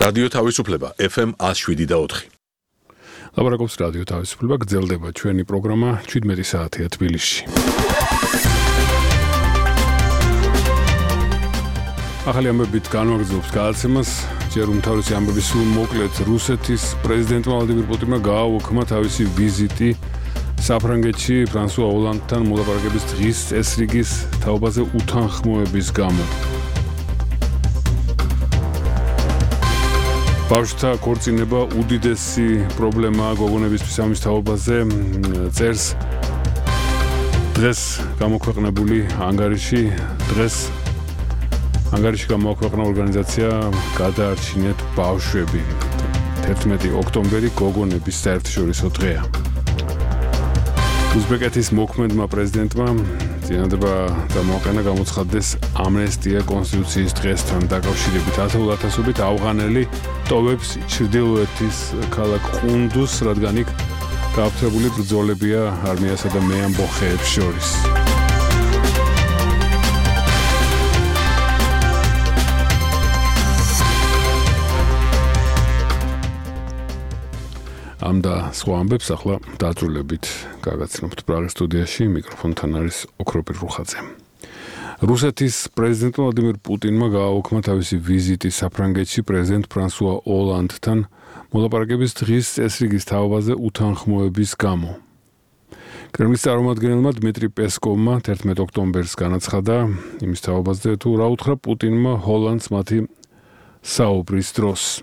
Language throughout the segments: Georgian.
რადიო თავისუფლება FM 107.4. ლაპარაკობს რადიო თავისუფლება, გრძელდება ჩვენი პროგრამა 17 საათია თბილისში. ახალი ამბებით განვაგრძობს გადაცემას, ჯერ უმთავრესი ამბები სულ მოკლედ რუსეთის პრეზიდენტმა ვლადიმირ პუტინმა გააუქმა თავისი ვიზიტი საფრანგეთში ფრანსუა ოლანდთან მოლაპარაკების დღის წესრიგის თაობაზე უთანხმოების გამო. ბავშვთა ქორწინება უდიდესი პრობლემაა გოგონებისთვის ამის თაობაზე წერს დღეს გამოქვეყნებული ანგარიში გამოაქვეყნა ორგანიზაცია გადაარჩინეთ ბავშვები 11 ოქტომბერი გოგონების საერთაშორისო დღეა. უზბეკეთის მოქმედმა პრეზიდენტმა წინადადება გამოაყენა გამოცხადდეს ამნესტია კონსტიტუციის დღესთან დაკავშირებით 10,000-ობით ავღანელი ტოვებს ჩრდილოეთის ქალაქ ყუნდუს, რადგან იქ გააფთრებული ბრძოლებია არმიასა და მეამბოხეებს შორის. ამ და სხვა ამბებს ახლა დაწვრილებით გაგაცნობთ პრაღის სტუდიაში, მიკროფონთან არის ოქროპირ რუხაძე. რუსეთის პრეზიდენტმა ვლადიმირ პუტინმა გააუქმა თავისი ვიზიტი საფრანგეთში პრეზიდენტ ფრანსუა ოლანდთან მოლაპარაკების დღის წესრიგის თაობაზე უთანხმოების გამო. კრემლის წარმომადგენელმა დმიტრი პესკოვმა 11 ოქტომბერს განაცხადა იმის თაობაზე, თუ რა უთხრა პუტინმა ჰოლანდს მათი საუბრის დროს.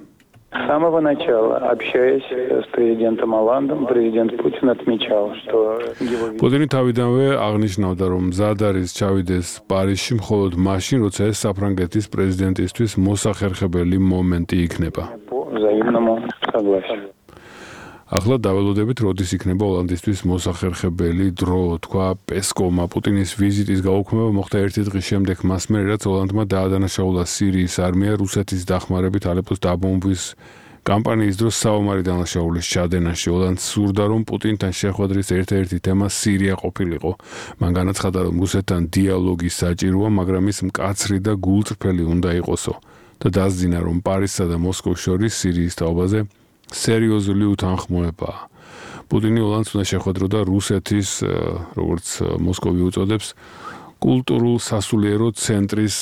С самого начала, общаясь с президентом Оландом, президент Путин отмечал, что его... Путин თავიდანვე აღნიშნავდა, რომ მზად არის ჩავიდეს პარიზში მხოლოდ მაშინ, როცა ეს საფრანგეთის პრეზიდენტისთვის მოსახერხებელი მომენტი იქნება. По взаимному согласию. ახლა დაველოდებით, როდის იქნება ოლანდისთვის მოსახერხებელი დრო, თქვა პესკოვმა. პუტინის ვიზიტის გაუქმება მოხდა ერთი დღის შემდეგ მას მერე, რაც ოლანდმა დაადანაშაულა სირიის არმია რუსეთის დახმარებით ალეპოს დაბომბვის კამპანიის დროს საომარი დანაშაულის ჩადენაში. ოლანდს სურდა, რომ პუტინთან შეხვედრის ერთ-ერთი თემა სირია ყოფილიყო. მან განაცხადა, რომ რუსეთთან დიალოგი საჭიროა, მაგრამ ის მკაცრი და გულწრფელი უნდა იყოსო და დასძინა, რომ პარიზსა და მოსკოვს შორის სირიის თაობაზე სერიოზული უთანხმოებაა. პუტინი ოლანდს უნდა შეხვედროდა რუსეთის, როგორც მოსკოვი უწოდებს, კულტურულ სასულიერო ცენტრის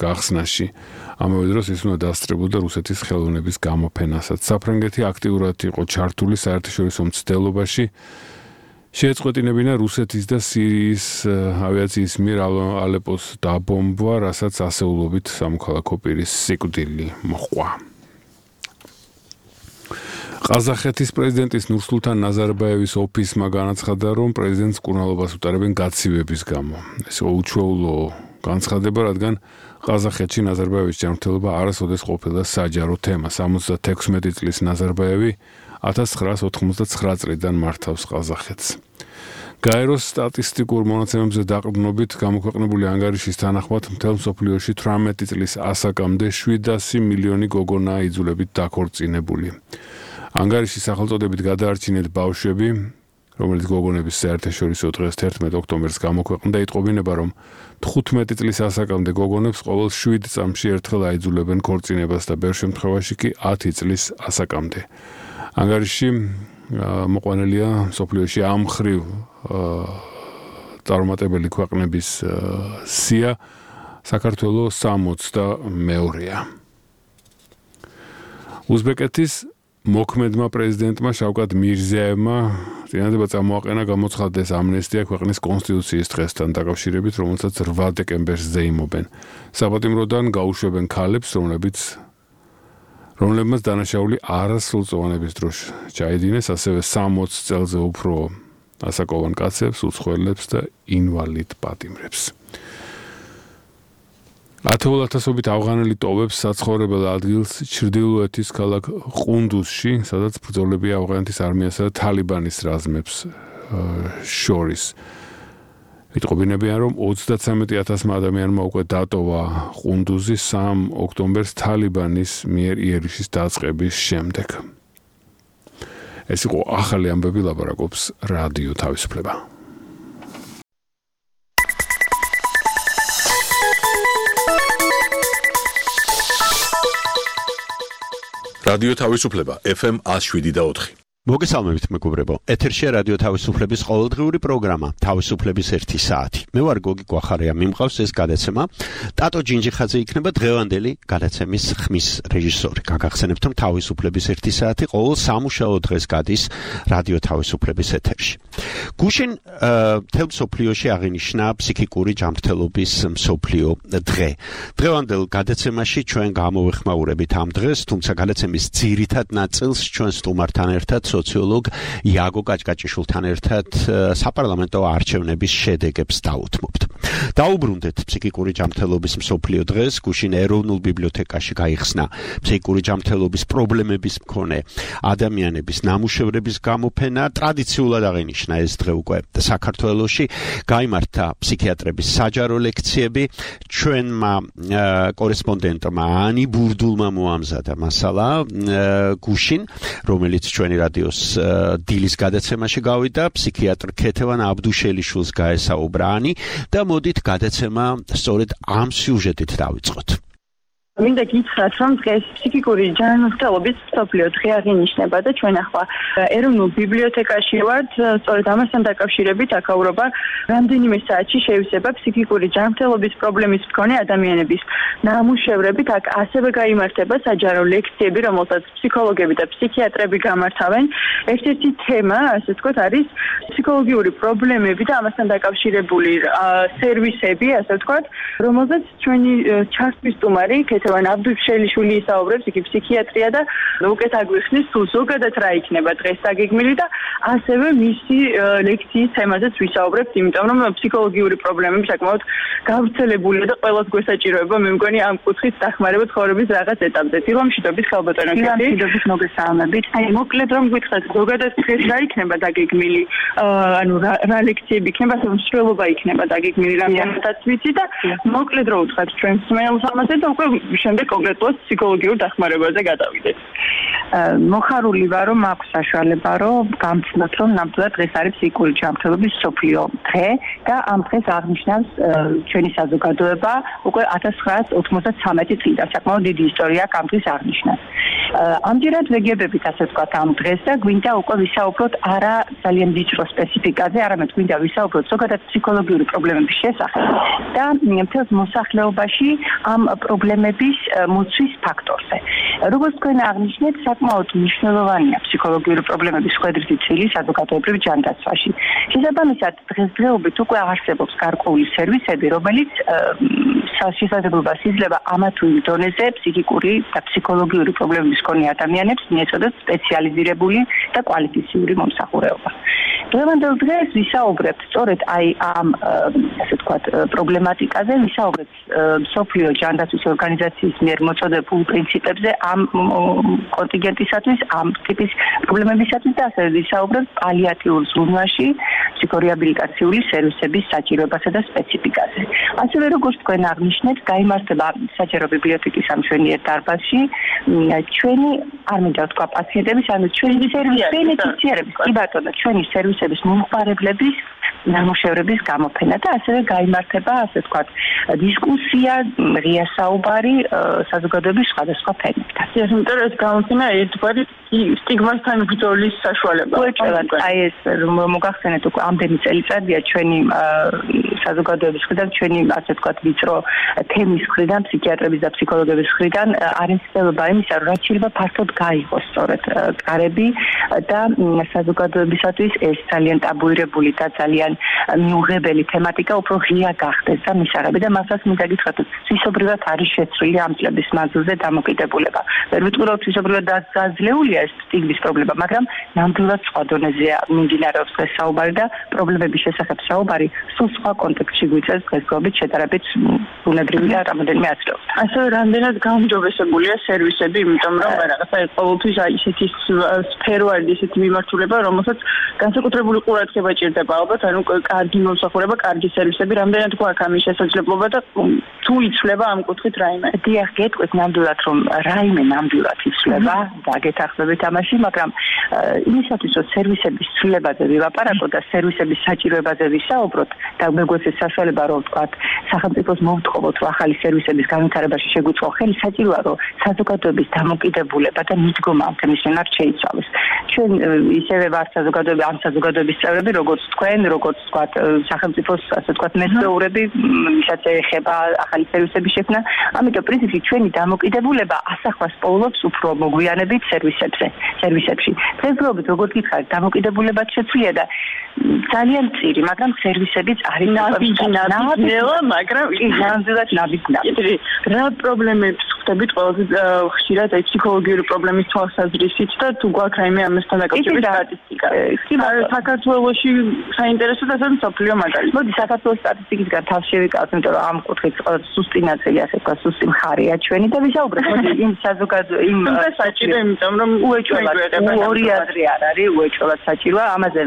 გახსნაში. ამავე დროს ის უნდა დასწრებოდა რუსეთის ხელოვნების გამოფენასაც. საფრანგეთი აქტიურად იყო ჩართული საერთაშორისო მცდელობაში. შეეწყვეტინებინა რუსეთის და სირიის ავიაციის მიერ ალეპოს დაბომბვა, რასაც ასეულობით სამოქალაქო პირის სიკვდილი მოჰყვა. ყაზახეთის პრეზიდენტის ნურსულთან ნაზარბაევის ოფისმა განაცხადა, რომ პრეზიდენტს მკურნალობას უტარებენ გაცივების გამო. ეს უჩვეულო განცხადება, რადგან ყაზახეთში ნაზარბაევის ჯანმრთელობა არასოდეს ყოფილა საჯარო თემა. 76 წლის ნაზარბაევი 1999 წლიდან მართავს ყაზახეთს. გაეროს სტატისტიკურ მონაცემებზე დაყრდნობით გამოქვეყნებული ანგარიშის თანახმად მთელ მსოფლიოში 18 წლის ასაკამდე 700 მილიონი გოგონაა იძულებით დაქორწინებული. ანგარიშის სახელწოდებით გადაარჩინეთ ბავშვები, რომელიც გოგონების საერთაშორისო დღეს 11 ოქტომბერს გამოქვეყნდა, იტყობინება, რომ 15 წლის ასაკამდე გოგონებს ყოველ 7 წამში ერთხელ აიძულებენ ქორწინებას და ბევრ შემთხვევაში კი 10 წლის ასაკამდე. ანგარიში მოყვანილია მსოფლიოში ამ მხრივ წარუმატებელი ქვეყნების სია, საქართველოს 62-ია. უზბეკეთის მოქმედმა პრეზიდენტმა შავკატ მირზიაევმა წინადადება წამოაყენა გამოცხადდეს ამნესტია ქვეყნის კონსტიტუციის დღესთან დაკავშირებით, რომელსაც 8 დეკემბერს ზეიმობენ. საპატიმროდან გაუშვებენ ქალებს, რომლებმაც დანაშაული არასრულწლოვანების დროს ჩაედინეს, ასევე 60 წელზე უფრო ასაკოვან კაცებს, უცხოელებს და ინვალიდ პატიმრებს. 10,000-ობით ავღანელი ტოვებს საცხოვრებელ ადგილს ჩრდილოეთის ქალაქ ყუნდუსში, სადაც ბრძოლებია ავღანეთის არმიასა და თალიბანის რაზმებს შორის. იტყობინებიან, რომ 33,000 ადამიანმა უკვე დატოვა ყუნდუზი 3 ოქტომბერს თალიბანის მიერ იერიშის დაწყების შემდეგ. ეს იყო ახალი ამბები, ლაპარაკობს რადიო თავისუფლება. რადიო თავისუფლება FM 107.4. მოგესალმებით მეგობრებო. ეთერშია რადიო თავისუფლების ყოველდღიური პროგრამა თავისუფლების 1 საათი. მე ვარ გოგი კვახარია, მიმყავს ეს გადაცემა. ტატო ჯინჯიხაძე იქნება დღევანდელი გადაცემის ხმის რეჟისორი. გაგახსენებთ, რომ თავისუფლების 1 საათი ყოველ სამუშაო დღეს გადის რადიო თავისუფლების ეთერში. გუშინ მთელ მსოფლიოში აღინიშნა ფსიქიკური ჯანმრთელობის მსოფლიო დღე. დღევანდელ გადაცემაში ჩვენ გამოვეხმაურებით ამ დღეს, თუმცა გადაცემის ძირითად ნაწილს ჩვენ სტუმართან ერთად სოციოლოგ იაგო კაჭკაჭიშვილთან ერთად საპარლამენტო არჩევნების შედეგებს დავუთმობთ. დაუბრუნდეთ ფსიქიკური ჯანმრთელობის მსოფლიო დღეს. გუშინ ეროვნულ ბიბლიოთეკაში გაიხსნა ფსიქიკური ჯანმრთელობის პრობლემების მქონე ადამიანების ნამუშევრების გამოფენა. ტრადიციულად აღინიშნა ეს დღე უკვე საქართველოში. გაიმართა ფსიქიატრების საჯარო ლექციები. ჩვენმა კორესპონდენტმა ანი ბურდულმა მოამზადა მასალა გუშინ, რომელიც ჩვენი რადიოს დილის გადაცემაში გავიდა. ფსიქიატრ ქეთევან აბდუშელიშვილს გაესაუბრა ანი და მოდით გადაცემა სწორედ ამ სიუჟეტით დავიწყოთ. მინდა გითხრათ, რომ დღეს ფსიქიკური ჯანმრთელობის მსოფლიო დღე აღინიშნება და ჩვენ ახლა ეროვნულ ბიბლიოთეკაში ვართ. სწორედ ამასთან დაკავშირებით აქაურობა რამდენიმე საათში შევისება ფსიქიკური ჯანმრთელობის პრობლემის მქონე ადამიანების ნამუშევრებით. აქ ასევე გაიმართება საჯარო ლექციები, რომელსაც ფსიქოლოგები და ფსიქიატრები გამართავენ. ერთ-ერთი თემა, ასე ვთქვათ, არის ფსიქოლოგიური პრობლემები და ამასთან დაკავშირებული სერვისები, ასე ვთქვათ, რომელზეც ჩვენი ჩართვის სტუმარი ქეთევან აბდუშელიშვილი ისაუბრებს, იგი ფსიქიატრია და უკეთ აგვიხსნის თუ ზოგადად რა იქნება დღეს დაგეგმილი და ასევე მისი ლექციის თემაზეც ვისაუბრებთ, იმიტომ რომ ფსიქოლოგიური პრობლემები საკმაოდ გავრცელებულია და ყველას გვესაჭიროება, მე მგონი ამ კუთხით დახმარება ცხოვრების რაღაც ეტაპზე. მშვიდობის ხალბატონო ქეთი. მშვიდობის მოგესალმებით. აი, მოკლედ რომ გითხრათ, ზოგადად დღეს რა იქნება დაგეგმილი, ანუ რა ლექციები იქნება, მსვლელობა იქნება დაგეგმილი, რამდენადაც ვიცი და მოკლედ რო ვთქვათ ჩვენ მსმენელს ამაზე და უკვე შემდეგ კონკრეტულად ფსიქოლოგიურ დახმარებაზე გადავიდეთ. მოხარული ვარ, რომ აქვს საშუალება, რომ გამცნოთ, რომ ნამდვილად დღეს არის ფსიქიკური ჯანმრთელობის მსოფლიო დღე და ამ დღეს აღნიშნავს ჩვენი საზოგადოება უკვე 1993 წლიდან. საკმაოდ დიდი ისტორია აქვს ამ დღის აღნიშვნას. ამჯერად ვეგებებით, ასე ვთქვათ, ამ დღეს და გვინდა უკვე ვისაუბროთ არა ძალიან ვიწრო სპეციფიკაზე, არამედ გვინდა ვისაუბროთ ზოგადად ფსიქოლოგიური პრობლემების შესახებ და მთელს მოსახლეობაში ამ პრობლემების მოცვის ფაქტორზე. როგორც თქვენ აღნიშნეთ, საკმაოდ მნიშვნელოვანია ფსიქოლოგიური პრობლემების ხვედრითი წილი საზოგადოებრივ ჯანდაცვაში. შესაბამისად, დღესდღეობით უკვე არსებობს გარკვეული სერვისები, რომელიც შესაძლებლობას იძლევა ამა თუ იმ დონეზე ფსიქიკური და ფსიქოლოგიური პრობლემების მქონე ადამიანებს მიეწოდოთ სპეციალიზირებული და კვალიფიციური მომსახურება. დღევანდელ დღეს ვისაუბრებთ სწორედ აი ამ ასე ვთქვათ პრობლემატიკაზე, ვისაუბრებთ მსოფლიო ჯანდაცვის ორგანიზაციის მიერ მოწოდებულ პრინციპებზე ამ კონტინგენტისათვის, ამ ტიპის პრობლემებისათვის და ასევე ვისაუბრებთ პალიატიურ ზრუნვაში ფსიქორეაბილიტაციული სერვისების საჭიროებასა და სპეციფიკაზე. ასევე როგორც თქვენ აღნიშნეთ, გაიმართება საჯარო ბიბლიოთეკის ამ ჩვენიერ დარბაზში ჩვენი არ მინდა ვთქვა პაციენტების, ანუ ჩვენი ბენეფიციარების, კი ბატონო, ჩვენი სერვისების მომხმარებლების ნამუშევრების გამოფენა და ასევე გაიმართება, ასე ვთქვათ, დისკუსია, ღია საუბარი საზოგადოების სხვადასხვა ფენებთან. იმიტომ რომ ეს გამოფენა ერთგვარი სტიგმასთან ბრძოლის საშუალება. აი ეს რომ მოგახსენეთ, უკვე ამდენი წელიწადია ჩვენი საზოგადოების მხრიდან, ჩვენი ასე ვთქვათ, ვიწრო თემის მხრიდან, ფსიქიატრების და ფსიქოლოგების მხრიდან არის ცდილობა იმისა, რომ რაც შეიძლება ფართოდ გაიღოს სწორედ კარები და საზოგადოებისათვის ეს ძალიან ტაბუირებული და ძალიან მიუღებელი თემატიკა უფრო ღია გახდეს და მისაღები და მასაც მინდა გითხრათ, თვისობრივად არის შეცვლილი ამ წლების მანძილზე დამოკიდებულება. ვერ ვიტყვი, რომ თვისობრივად დაძლეულია ეს სტიგმის პრობლემა, მაგრამ ნამდვილად სხვა დონეზეა მიმდინარეობს დღეს საუბარი და პრობლემების შესახებ საუბარი სულ სხვა კონტექსტში გვიწევს დღესდღეობით შედარებით ბუნებრივი და რამოდენიმე აცრეულთან. ასევე რამდენად გაუმჯობესებულია სერვისები, იმიტომ რომ რაღაცა ყოველთვის აი ისეთი სფერო არის, ისეთი მიმართულება, რომელსაც განსაკუთრებული ყურადღება ჭირდება ალბათ, ანუ კარგი მომსახურება, კარგი სერვისები, რამდენად გვაქვს ამის შესაძლებლობა მდგომარეობა და თუ იცვლება ამ კუთხით რაიმე. დიახ, გეტყვით ნამდვილად რომ რაიმე ნამდვილად იცვლება და გეთახსებით ამაში, მაგრამ იმისათვის რომ სერვისების ცვლილებაზე ვილაპარაკოთ და სერვისების საჭიროებაზე ვისაუბროთ და მეგვეცეს საშუალება რომ ვთქვათ სახელმწიფოს მოვთხოვოთ რომ ახალი სერვისების განვითარებაში შეგვიწყო ხელი, საჭიროა რომ საზოგადოების დამოკიდებულება და მიდგომა ამ თემის მიმართ შეიცვალოს. ჩვენ ისევე ვართ საზოგადოების წევრები, როგორც თქვენ, როგორც ვთქვათ სახელმწიფოს ასე ვთქვათ მეთაურები, ვისაც ეხება ახალი სერვისების შექმნა, ამიტომ პრინციპში ჩვენი დამოკიდებულება ასახვას პოულობს უფრო მოგვიანებით სერვისებში. დღესდღეობით როგორც გითხარით, დამოკიდებულებაც შეცვლია და ძალიან მწირი, მაგრამ სერვისებიც არის ნაბიჯნელა, მაგრამ ნამდვილად ნაბიჯნელა. რა პრობლემებს ხვდებით ყველაზე ხშირად აი ფსიქოლოგიური პრობლემის თვალსაზრისით და თუ გვაქვს რაიმე ამასთან დაკავშირებით სტატისტიკა? საქართველოში საინტერესო და მსოფლიო მაგალითი. მოდი საქართველოს სტატისტიკისგან თავს შევიკავოთ, იმიტომ რომ ამ კუთხით სუსტი ნაწილი ასე ვთქვათ, სუსტი მხარეა ჩვენი და ვისაუბროთ იმ საზოგადო იმ საჭირო, იმიტომ რომ უეჭველად ორი აზრი არ არის, უეჭველად საჭიროა, ამაზე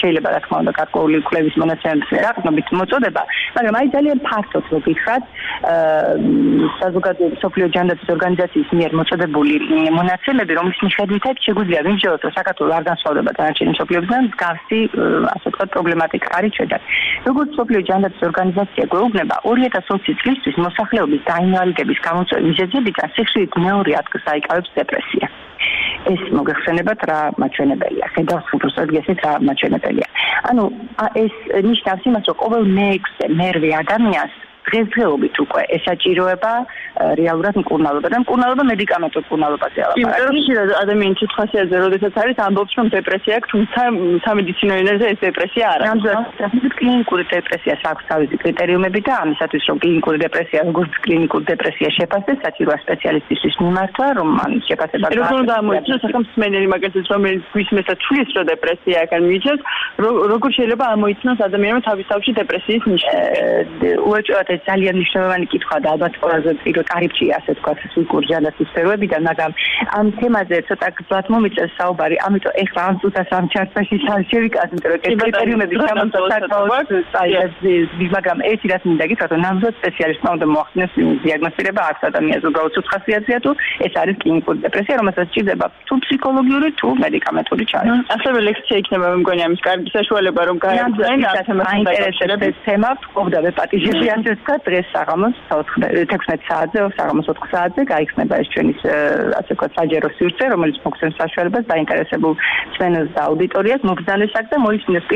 შეიძლება რა თქმა უნდა გარკვეული კვლევის მონაცემების რაყნობით მოწოდება, მაგრამ აი ძალიან ფართოდ რო გითხრათ, საზოგადო სოფლიო ჯანდაცვის ორგანიზაციის მიერ მოწოდებული მონაცემები, რომლის მიხედვითაც შეგვიძლია ვიმსჯელოთ, რომ საქართველოს არ განსხვავდება დანარჩენი მსოფლიოსგან, მსგავსი ასე ვთქვათ პრობლემატიკა არის ჩვენთან. როგორც სოფლიო ჯანდაცვის ორგანიზაცია გვეუბნება, 2020 წლისთვის მოსახლეობის დაინვალიდების გამოწვევის მიზეზებიდან სიხვდილით მეორე ადგილს აიკავებს დეპრესია. ეს მოგეხსენებათ რა მაჩვენებელია, ხედავს უბრალოდ გესმით რა მაჩვენებელია. ანუ ეს ნიშნავს იმას, რომ ყოველ მერვე ადამიანს დღესდღეობით უკვე ესაჭიროება რეალურად მკურნალობა და მკურნალობა მედიკამენტურ მკურნალობაზე ალაპარაკი. იმიტომ რომ ხშირად ადამიანის სიტყვასიაზე როდესაც არის ამბობს რომ დეპრესია აქვს, თუმცა სამედიცინო ენაზე ეს დეპრესია არ არის. ნამდვილად კლინიკური დეპრესიას აქვს თავისი კრიტერიუმები და ამისათვის რომ კლინიკური დეპრესია როგორც კლინიკური დეპრესია შეფასდეს, საჭიროა სპეციალისტის მიმართვა, რომ ამ შეფასება როგორ გამოიწვიოს სახელმწიფო მაგალითად რომელიც გვისმენს და თulis რომ დეპრესია აქ მიიწევს, როგორ შეიძლება ამოიცნოს ადამიანმა თავის თავში დეპრესიის ნიშნები? უეჭველად ძალიან მნიშვნელოვანი კითხვაა და ალბათ ყველაზე პირველ კარიბჭეა ასე ვთქვათ ფსიქოლოგიური ჯანდაცვის სფეროებიდან, მაგრამ ამ თემაზე ცოტა გზად მომიწევს საუბარი, ამიტომ ეხლა ამ წუთას ამ ჩარტში შევიკავოთ, იმიტომ რომ კრიტერიუმები მაგრამ ერთი რაც მინდა გითხრათ, რომ ნამდვილად სპეციალისტმა უნდა მოახდინოს დიაგნოსტირება აქვს ადამიანს, უბრალოდ სუცხასიათია თუ ეს არის კლინიკური დეპრესია, რომელსაც სჭირდება თუ ფსიქოლოგიური თუ მედიკამენტური ჩარევა. ასევე ლექცია იქნება მე მგონი ამის კარგი საშუალება რომ გაიგრძელონ ამ თემასთან დაკავშირებით თემა ვყავდა პატიჟები ასე ვთქვათ, დღეს საღამოს 16 საათზე, საღამოს 4 საათზე გაიხსნება ეს ჩვენი ასე ვთქვათ საჯარო სივრცე, რომელიც მოგცემს საშუალებას დაინტერესებულ მსმენელს და აუდიტორიას მოგზავნოს აქ და მოისმინოს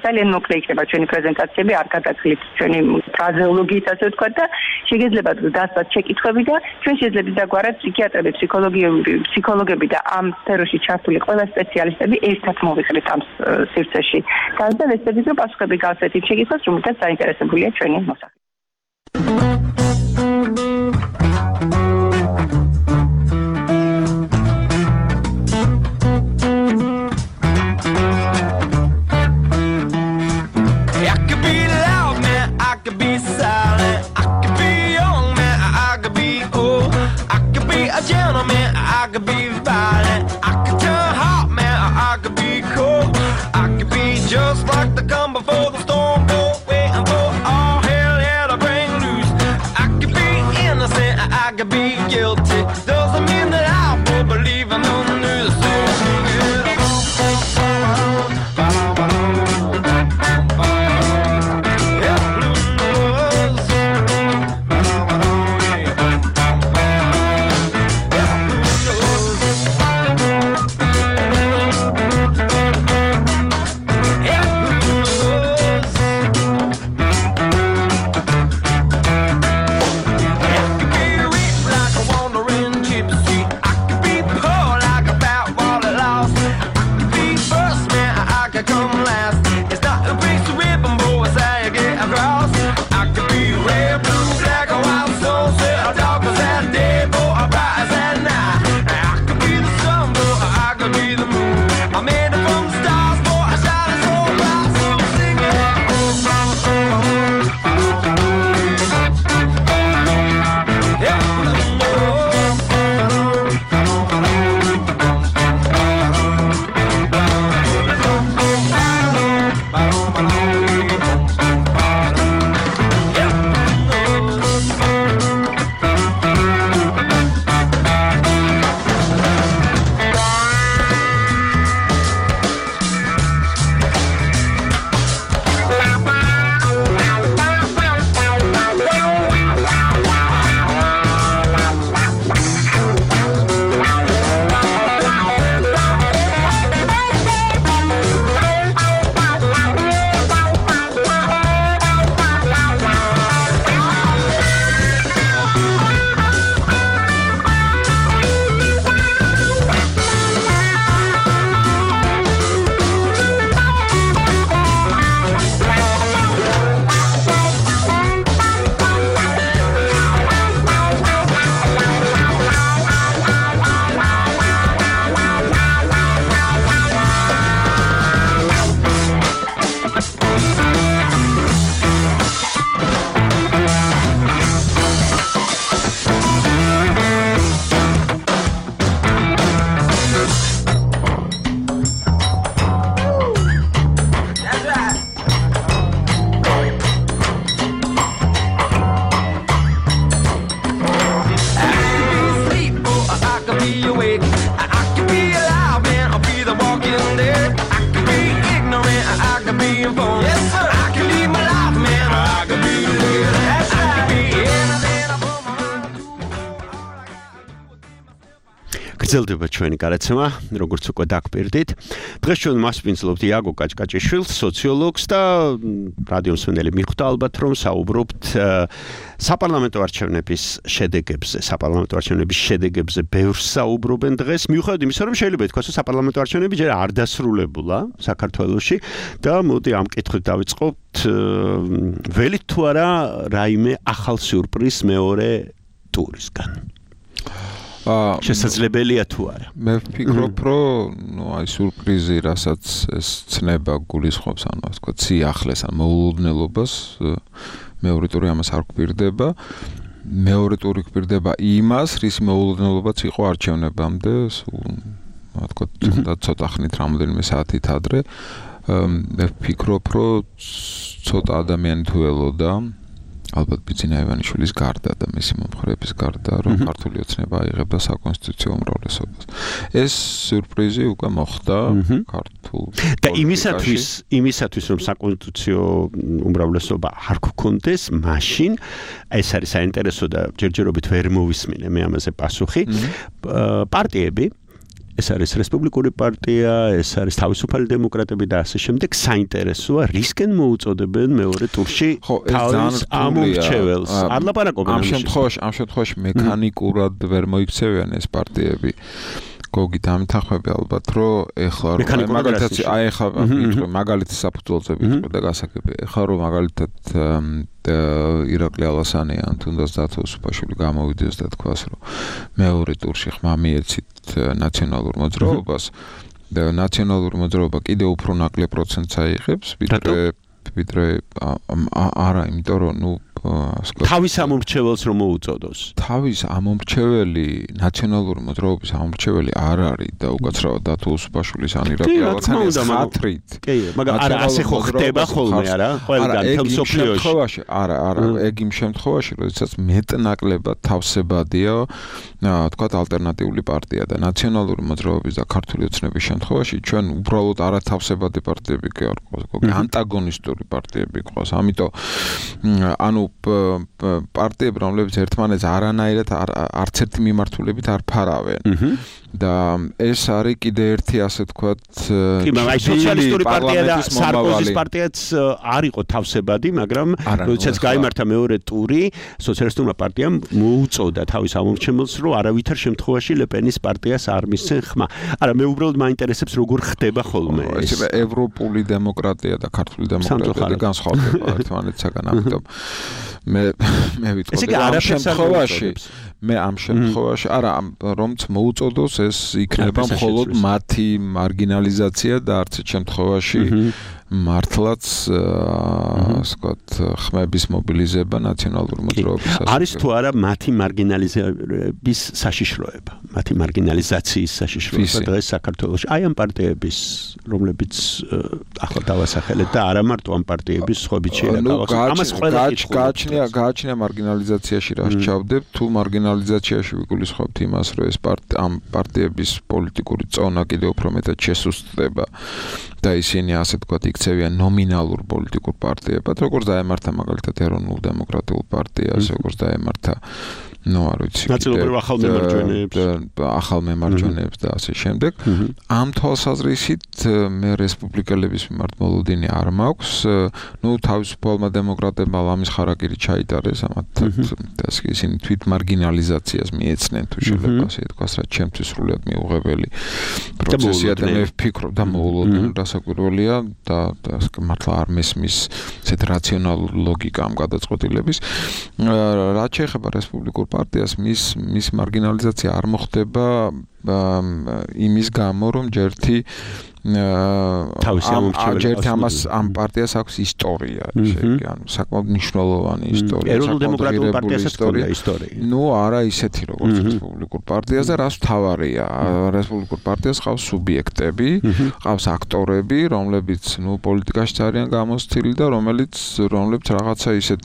ძალიან მოკლე იქნება ჩვენი პრეზენტაციები, არ გადაგხლით ჩვენი ფრაზეოლოგიით ასე ვთქვათ და შეგეძლებათ დასწრათ შეკითხვები და ჩვენ შეიძლება დაგვარად ფსიქიატრები, ფსიქოლოგები და ამ სფეროში ჩართული ყველა სპეციალისტები ერთად მოვიყრით ამ სივრცეში. და ვეცდებით რომ პასუხები გავცეთ იმ შეკითხვას, რომელთაც დაინტერესებულია ჩვენი მოსახლეობა. გრძელდება ჩვენი გადაცემა, როგორც უკვე დაგპირდით. დღეს ჩვენ მასპინძლობთ იაგო კაჭკაჭიშვილს, სოციოლოგს და რადიო მსმენელი მიხვდა ალბათ რომ საუბრობთ საპარლამენტო არჩევნების შედეგებზე ბევრს საუბრობენ დღეს. მიუხედავად იმისა, რომ შეიძლება ითქვას, რომ საპარლამენტო არჩევნები ჯერ არ დასრულებულა საქართველოში და მოდი ამ კითხვით დავიწყოთ, ველით თუ არა რაიმე ახალ სიურპრიზს მეორე ტურისგან. შესაძლებელია თუ არა. მე ვფიქრობ, რომ აი სიურპრიზი, რასაც ეს ცნება გულისხმობს, ანუ ასე ვთქვათ, სიახლეს ან მოულოდნელობას, მეორე ტური ამას არ გვპირდება. მეორე ტური გვპირდება იმას, რის მოულოდნელობაც იყო არჩევნებამდე, ასე ვთქვათ, ცოტა ხნით რამოდენიმე საათით ადრე. მე ვფიქრობ, რომ ცოტა ადამიანი თუ ელოდა ალბათ ბიძინა ივანიშვილის გარდა და მისი მომხრეების გარდა, რომ ქართული ოცნება აიღებდა საკონსტიტუციო უმრავლესობას. ეს სიურპრიზი უკვე მოხდა ქართულ და იმისათვის რომ საკონსტიტუციო უმრავლესობა არ გქონდეს, მაშინ ეს არის საინტერესო და ჯერჯერობით ვერ მოვისმინე მე ამაზე პასუხი. პარტიები ეს არის რესპუბლიკური პარტია, ეს არის თავისუფალი დემოკრატები და ასე შემდეგ. საინტერესოა, რისკენ მოუწოდებენ მეორე ტურში თავის ამომრჩეველს. არ ლაპარაკობენ ამ შემთხვევაში მექანიკურად ვერ მოიქცევიან ეს პარტიები. გოგით ამითახმები ალბათ, რომ ეხლა მაგალითად საფუძველზე ვიტყვი და გასაგები. ეხლა რომ მაგალითად ირაკლი ალასანი ან თუნდაც დათო უსუფაშვილი გამოვიდეს და თქვას, რომ მეორე ტურში ხმა მიეცით ნაციონალურ მოძრაობას და ნაციონალური მოძრაობა კიდევ უფრო ნაკლებ პროცენტს აიღებს, ვიდრე არა, იმიტომ რომ თავის ამომრჩეველს რომ მოუწოდოს. თავის ამომრჩეველი, ნაციონალური მოძრაობის ამომრჩეველი არ არის და უკაცრავად დათო უსუფაშვილის ან ირაკლი ალასანის ხათრით. კი, მაგრამ არა ასე ხო ხდება ხოლმე, არა? ყველგან თემსოფლიოში. არა, ეგ იმ შემთხვევაში, როდესაც მეტნაკლებად თავსებადია, თქვათ ალტერნატიული პარტია და ნაციონალური მოძრაობის და ქართული ოცნების შემთხვევაში ჩვენ უბრალოდ არათავსებადი პარტიები კი არ გვყავს, ანტაგონისტური პარტიები გვყავს. ამიტომ ანუ პარტიები, რომლებიც ერთმანეთს არანაირად არც ერთი მიმართულებით არ ფარავენ. და ეს არის კიდე ერთი ასე ვთქვათ აი სოციალისტური პარტია და სარკოზის პარტიაც არ იყო თავსებადი, მაგრამ როდესაც გაიმართა მეორე ტური, სოციალისტურმა პარტიამ მოუწოდა თავის ამომრჩეველს, რომ არავითარ შემთხვევაში ლეპენის პარტიას არ მისცენ ხმა. არა, მე უბრალოდ მაინტერესებს როგორ ხდება ხოლმე ეს. ევროპული დემოკრატია და ქართული დემოკრატია განსხვავდება ერთმანეთსაგან, ამიტომ მე ვიტყოდი ამ შემთხვევაში არა რომც მოუწოდოს ეს იქნება მხოლოდ მათი მარგინალიზაცია და არც შემთხვევაში მართლაც ვთქვათ ხმების მობილიზება ნაციონალური მოძრაობის არის თუ არა მათი მარგინალიზების საშიშროება, მათი მარგინალიზაციის საშიშროება დღეს საქართველოში. აი ამ პარტიების, რომლებიც ახლა დავასახელეთ და არა მარტო ამ პარტიების სხვებიც შეიძლება ამას ყველა გააჩნია მარგინალიზაციაში რა შეჭავდებ, თუ მარგინალიზაციაში ვიგულისხმობთ იმას, რომ ეს ამ პარტიების პოლიტიკური წონა კიდევ უფრო მეტად შესუსტდება და ისინი ასე ვთქვათ იქცევიან ნომინალურ პოლიტიკურ პარტიებად, როგორც დაემართა მაგალითად ეროვნულ დემოკრატიულ პარტიას, როგორც დაემართა არ ვიცი, ახალ მემარჯვენეებს და ასე შემდეგ. ამ თვალსაზრისით მე რესპუბლიკელების მიმართ მოლოდინი არ მაქვს. თავისუფალმა დემოკრატებმა ლამის ხარაკირი ჩაიტარეს, ამათ ისინი თვით მარგინალიზაციას მიეცნენ, თუ შეიძლება ასე ითქვას, რაც ჩემთვის სრულიად მიუღებელი პროცესია და მე ვფიქრობ და მოულოდნელი დასაკვირველია და მართლა არ მესმის ესეთ რაციონალურ ლოგიკა ამ გადაწყვეტილების. რაც შეეხება რესპუბლიკურ პარტიას, მის მარგინალიზაცია არ მოხდება იმის გამო, რომ ჯერთი ამას ამ პარტიას აქვს ისტორია, ანუ საკმაოდ მნიშვნელოვანი ისტორია, ეროვნულ დემოკრატიულ პარტიასაც ჰქონდა ისტორია. არა ისეთი როგორც რესპუბლიკურ პარტიას და რაც თავარია, რესპუბლიკურ პარტიას ყავს სუბიექტები, ყავს აქტორები, რომლებიც პოლიტიკაში არიან გამოცდილი და რომლებიც რაღაცა ისეთ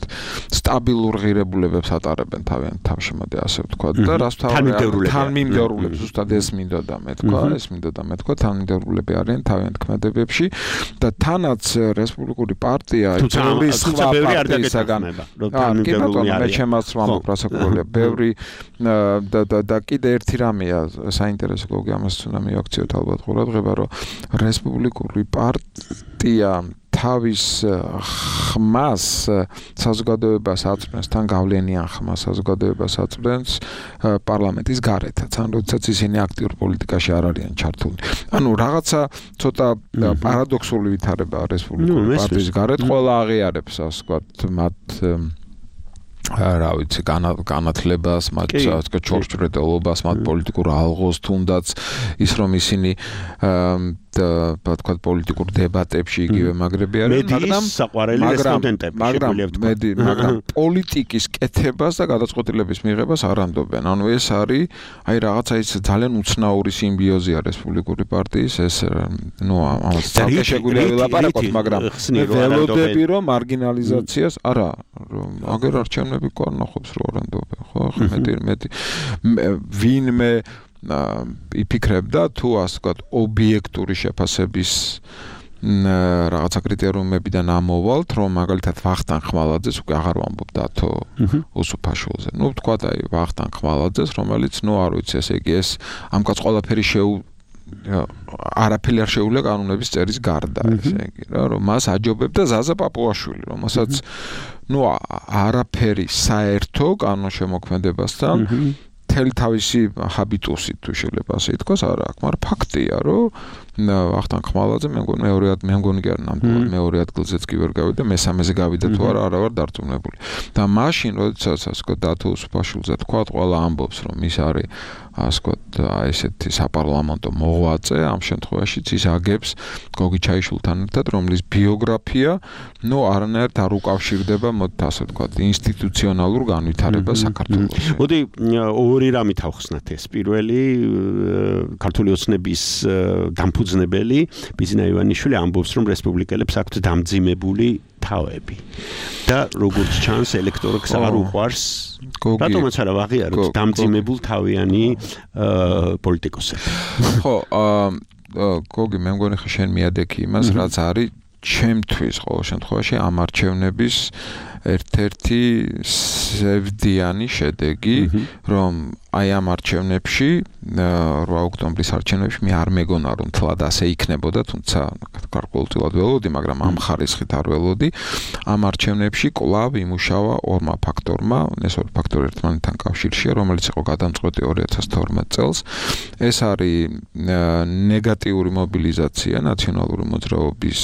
სტაბილურ ღირებულებებს ატარებენ თავშემოდე, ასე ვთქვათ და რაც თავარია თანმიმდევრულებს, ზუსტად ეს მინდოდა მე თქვა, თანმიმდევრულები არიან თავიანთ ქმედებებში და თანაც რესპუბლიკური პარტია ბევრი სხვა პარტიისაგან მე ჩემაც ვამბობ რასაკვირველია ბევრი და კიდე ერთი რამეა საინტერესო გოგი ამას უნდა მიაქციოთ ალბათ ყურადღება რომ რესპუბლიკური პარტია თავის ხმას საზოგადოებას აწვდენს თან გავლენიან ხმას საზოგადოებას აწვდენს პარლამენტის გარეთაც ან როდესაც ისინი აქტიურ პოლიტიკაში არ არიან ჩართული ანუ რაღაცა ცოტა პარადოქსული ვითარებაა რესპუბლიკური პარტიის გარეთ ყველა აღიარებს ასე ვთქვათ მათ რა ვიცი განათლებას მათ ჩორჩრედელობას მათ პოლიტიკურ ალღოს თუნდაც ის რომ ისინი და თქვა პოლიტიკურ დებატებში იგივე მაგრები არიან მაგრამ პოლიტიკის კეთებას და გადაწყვეტილების მიღებას არ ამდობენ ანუ ეს არის აი რაღაცა ის ძალიან უცნაური სიმბიოზია რესპუბლიკური პარტიის ეს ნუ ამას ცალკე შეგვიძლია ვილაპარაკოთ მაგრამ ველოდები რომ მარგინალიზაციას არა აგერ არჩევნები ყარნახობს რო არ ამდობენ ხო მეტი ვინმე იფიქრებდა თუ ასე ვთქვათ ობიექტური შეფასების რაღაცა კრიტერიუმებიდან ამოვალთ რომ მაგალითად ვახტანგ ხმალაძეს უკვე აღარ ვამბობ დათო უსუფაშვილზე ნუ ვთქვათ აი ვახტანგ ხმალაძეს რომელიც ნუ არ ვიცი ესე იგი ეს ამ კაც ყველაფერი არაფერი არ შეუძლია კანონების წერის გარდა ესე იგი რა რომ მას აჯობებდა ზაზა პაპუაშვილი რომელსაც ნუ არაფერი საერთო კანონშემოქმედებასთან თელი თავისი ჰაბიტუსით თუ შეიძლება ასე ითქვას არა აქვს მაგრამ ფაქტია რომ ვახტანგ ხმალაძე მე მგონი კი არ ნამდვილად მეორე ადგილზეც კი ვერ გავიდა მესამეზე გავიდა თუ არა არ ვარ დარწმუნებული და მაშინ როდესაც ასე ვთქვათ დათო უსუფაშვილზე თქვა ყველა ამბობს რომ ის არის ასე ვთქვათ ესეთი საპარლამენტო მოღვაწე ამ შემთხვევაშიც ის აგებს გოგი ჩაიშვილთან ერთად რომლის ბიოგრაფია ნუ არანაირად არ უკავშირდება მოდით ასე ვთქვათ ინსტიტუციონალურ განვითარებას საქართველოში მოდი ორი რამით ავხსნათ ეს პირველი ქართული ოცნების დამფუძნებელი ბიზნა ივანიშვილი ამბობს რომ რესპუბლიკელებს აქვთ დამძიმებული თავები და როგორც ჩანს ელექტორატს არ უყვარს რატომაც არა ვაღიაროთ დამძიმებულ თავიანი პოლიტიკოსები ხო გოგი მე მგონი ხა შენ მიადექი იმას რაც არის ჩემთვის ყოველ შემთხვევაში ამ არჩევნების ერთ-ერთი სევდიანი შედეგი რომ აი ამ არჩევნებში 8 ოქტომბრის არჩევნებში მე არ მეგონა რომ თლად ასე იქნებოდა თუმცა გარკვეულწილად ველოდი მაგრამ ამ ხარისხით არ ველოდი ამ არჩევნებში კვლავ იმუშავა ორმა ფაქტორმა ეს ორი ფაქტორი ერთმანეთთან კავშირშია რომელიც იყო გადამწყვეტი 2012 წელს ეს არის ნეგატიური მობილიზაცია ნაციონალური მოძრაობის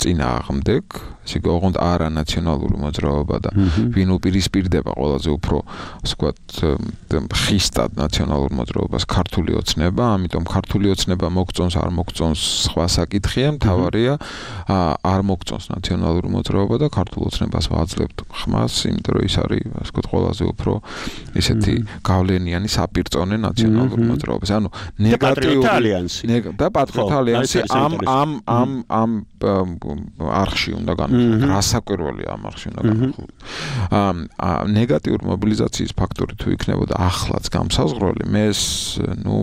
წინააღმდეგ ესე იგი ოღონდ არა ნაციონალური მოძრაობა და ვინ უპირისპირდება ყველაზე უფრო ასე ვთქვათ ხისტად ნაციონალურ მოძრაობას ქართული ოცნება ამიტომ ქართული ოცნება მოგწონს არ მოგწონს სხვა საკითხია მთავარია არ მოგწონს ნაციონალური მოძრაობა და ქართულ ოცნებას ვაძლევთ ხმას იმიტომ რომ ის არის ასე ვთქვათ ყველაზე უფრო ესეთი გავლენიანი საპირწონე ნაციონალურ მოძრაობას ანუ ნეგატიური ალიანსი და პატრიოტთა ალიანსი ამ არხში უნდა რასაკვირველია ამ არხში უნდა განხილოთ ნეგატიური მობილიზაციის ფაქტორი თუ იქნებოდა ახლაც გამსაზღვრელი მე ნუ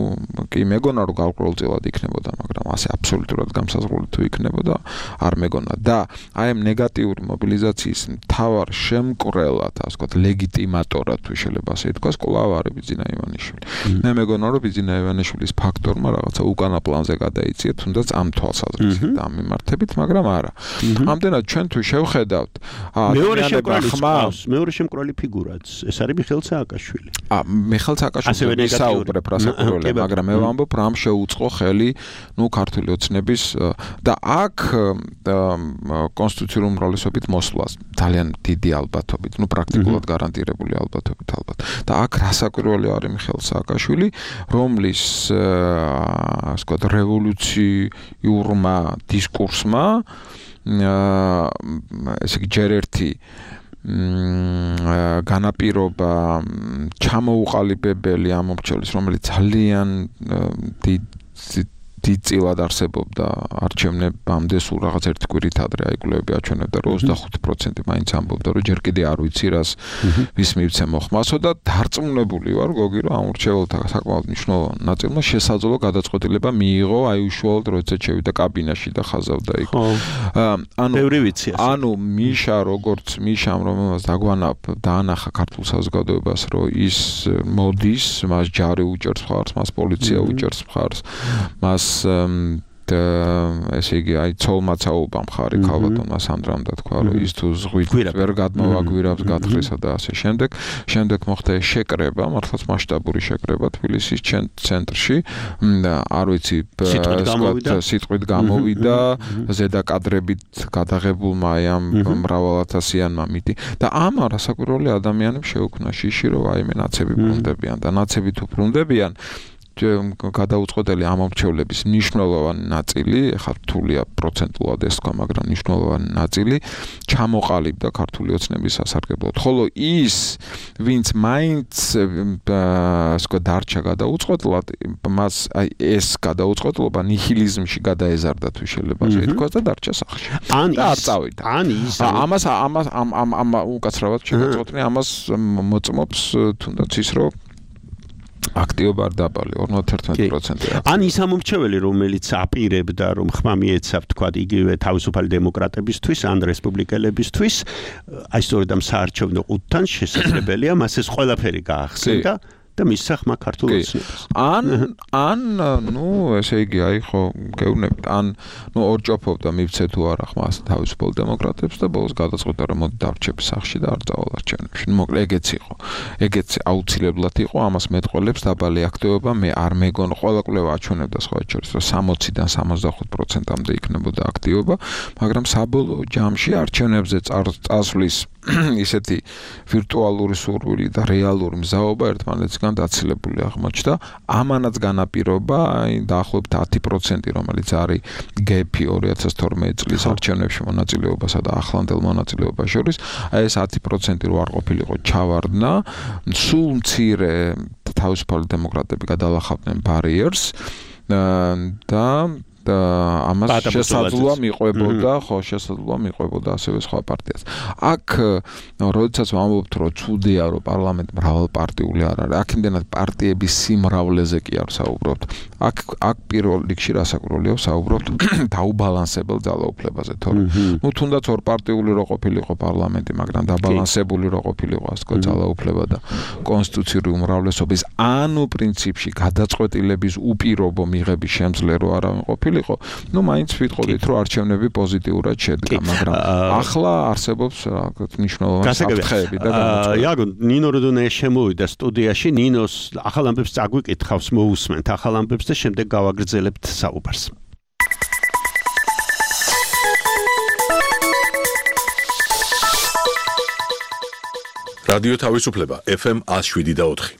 კი მეგონა რომ გარკვეულწილად იქნებოდა მაგრამ ასე აბსოლუტურად გამსაზღვრელი თუ იქნებოდა არ მეგონა და აი ამ ნეგატიური მობილიზაციის მთავარ შემკვრელად ასე ვთქვათ ლეგიტიმატორად თუ შეიძლება ასე ითქვას კვლავ არის ბიძინა ივანიშვილი მე მეგონა რომ ბიძინა ივანიშვილის ფაქტორმა რაღაცა უკანა პლანზე გადაიწია თუნდაც ამ თვალსაზრისით და ამ მიმართებით მაგრამ არა ამდენად ჩვენ თუ შევხედავთ მეორე შემკვრელი ფიგურაც ეს არის მიხეილ სააკაშვილი მიხეილ სააკაშვილი საუბრებ რასაკვირველია მაგრამ მე ვამბობ რამ შეუწყო ხელი ნუ ქართული ოცნების და აქ კონსტიტუციური უმრავლესობით მოსვლას ძალიან დიდი ალბათობით ნუ პრაქტიკულად გარანტირებული ალბათობით ალბათ და აქ რასაკვირველი არის მიხეილ სააკაშვილი რომლის ასე ვთქვათ რევოლუციურმა დისკურსმა ესე იგი ჯერ ერთი განაპირობა ჩამოუყალიბებელი ამ მომრჩეველის რომელიც ძალიან დიდწილად არსებობდა არჩევნებამდე სულ რაღაც ერთი კვირით ადრე აიკვლევები აჩვენებდა რომ 25% მაინც ამბობდა რომ ჯერ კიდე არ ვიცი რას ვის მივცე მოხმასო და დარწმუნებული ვარ გოგი რომ ამ ურჩეველთა საკმაოდ მნიშვნელოვან ნაწილმა შესაძლო გადაწყვეტილება მიიღო აი უშუალოდ როდესაც შევიდა კაბინაში და ხაზავდა იქ. ანუ მიშა როგორც მიშამ რომელსაც დაანახა ქართულ საზოგადოებას რომ ის მოდის მას ჯარი უჭერს მხარს მას პოლიცია უჭერს მხარს მას ესე იგი აი ცოლმაცაობა მხარი ქალბატონმა სანდრამ და თქვა რომ ის თუ ზღვით ვერ გადმოვაგვირავს გათხრისა და ასე შემდეგ მოხდა შეკრება მართლაც მასშტაბური შეკრება თბილისის ცენტრში არ ვიცი სიტყვით გამოვიდა ზედა კადრებით გადაღებულმა აი ამ მრავალათასიანმა მითი და ამ არასაკვირველი ადამიანებს შეუქმნა შიში რომ აი მე ნაცები ბრუნდებიან და ნაცები თუ ბრუნდებიან გადაუწყვეტელი ამორჩევლების მნიშვნელოვანი ნაწილი, ეხლა რთულია პროცენტულად ეს თქვა, მაგრამ მნიშვნელოვანი ნაწილი ჩამოყალიბდა ქართული ოცნების სასარგებლოდ. ხოლო ის, ვინც მაინც დარჩა გადაუწყვეტლად, მას აი ეს გადაუწყვეტლობა ნიჰილიზმში გადაეზარდა თუ შეიძლება ასე ითქვას და დარჩა სახლში. არ წავიდა. ამას უკაცრავად შეგაწყვეტნი, ამას მოწმობს თუნდაც ის რომ აქტიობა არ დაბალი 51%. ან ის ამორჩეველი რომელიც აპირებდა რომ ხმა მიეცა თქვა იგივე თავისუფალი დემოკრატებისთვის ან რესპუბლიკელებისთვის აი სწორედ ამ საარჩევნო ყუთთან შესაძლებელია მას ეს ყველაფერი გაახსენდა და მის სახმა ქართულ ოცნებას. ან ნუ ესე იგი აი ხო გეუბნებით ან ნუ ორჯოფობდა მივცე თუ არა ხმას თავისუფალ დემოკრატებს და ბოლოს გადაწყვეტა რომ მოდი დავრჩები სახლში და არ წავალ არჩევნებში. მოკლე ეგეც იყო. ეგეც აუცილებლად იყო ამას მეტყველებს დაბალი აქტივობა მე არ მეგონ ყველა კვლევა აჩვენებდა სხვა შორის რომ 60-დან 65%-მდე იქნებოდა აქტივობა, მაგრამ საბოლოო ჯამში არჩევნებზე წასვლის ისეთი ვირტუალური სურვილი და რეალური მზაობა ერთმანეთისგან დაცილებული აღმოჩნდა. ამანაც განაპირობა აი დაახლოებით 10% რომელიც არის გეფი 2012 წლის არჩევნებში მონაწილეობასა და ახლანდელ მონაწილეობას შორის, აი ეს 10% რო არ ყოფილიყო ჩავარდნა, სულ მცირე თავისუფალი დემოკრატები გადალახავდნენ ბარიერს და ამას შესაძლოა მიყვებოდა, ხო, შესაძლოა მიყვებოდა ასევე სხვა პარტიას. აქ როდესაც ვამბობთ, რომ ცუდია, რომ პარლამენტი მრავალპარტიული არ არის, აქ იმდენად პარტიების სიმრავლეზე კი არ საუბრობთ. აქ პირველ რიგში რასაკურველია საუბრობთ დაუბალანსებელ ძალაუფლებაზე, თორემ ნუ თუნდაც ორპარტიული რო ყოფილიყო პარლამენტი, მაგრამ დაბალანსებული რო ყოფილიყო ასე თქვა ძალაუფლება და კონსტიტუციური უმრავლესობის ანუ პრინციპში გადაწყვეტილების უპირობო მიღების შემძლე რო არავინ ყოფილიყო, ნუ მაინც ვიტყოდით რომ არჩევნები პოზიტიურად შედგა, მაგრამ ახლა არსებობს რაღაც მნიშვნელოვანი საფრთხეები და განაცხადება. იაგო, ნინო როდონე შემოვიდა სტუდიაში, ნინოს ახალ ამბებს წაგვიკითხავს, მოусმენთ ახალ ამბებს და შემდეგ გავაგრძელებთ საუბარს. რადიო თავისუფლება FM 107.4.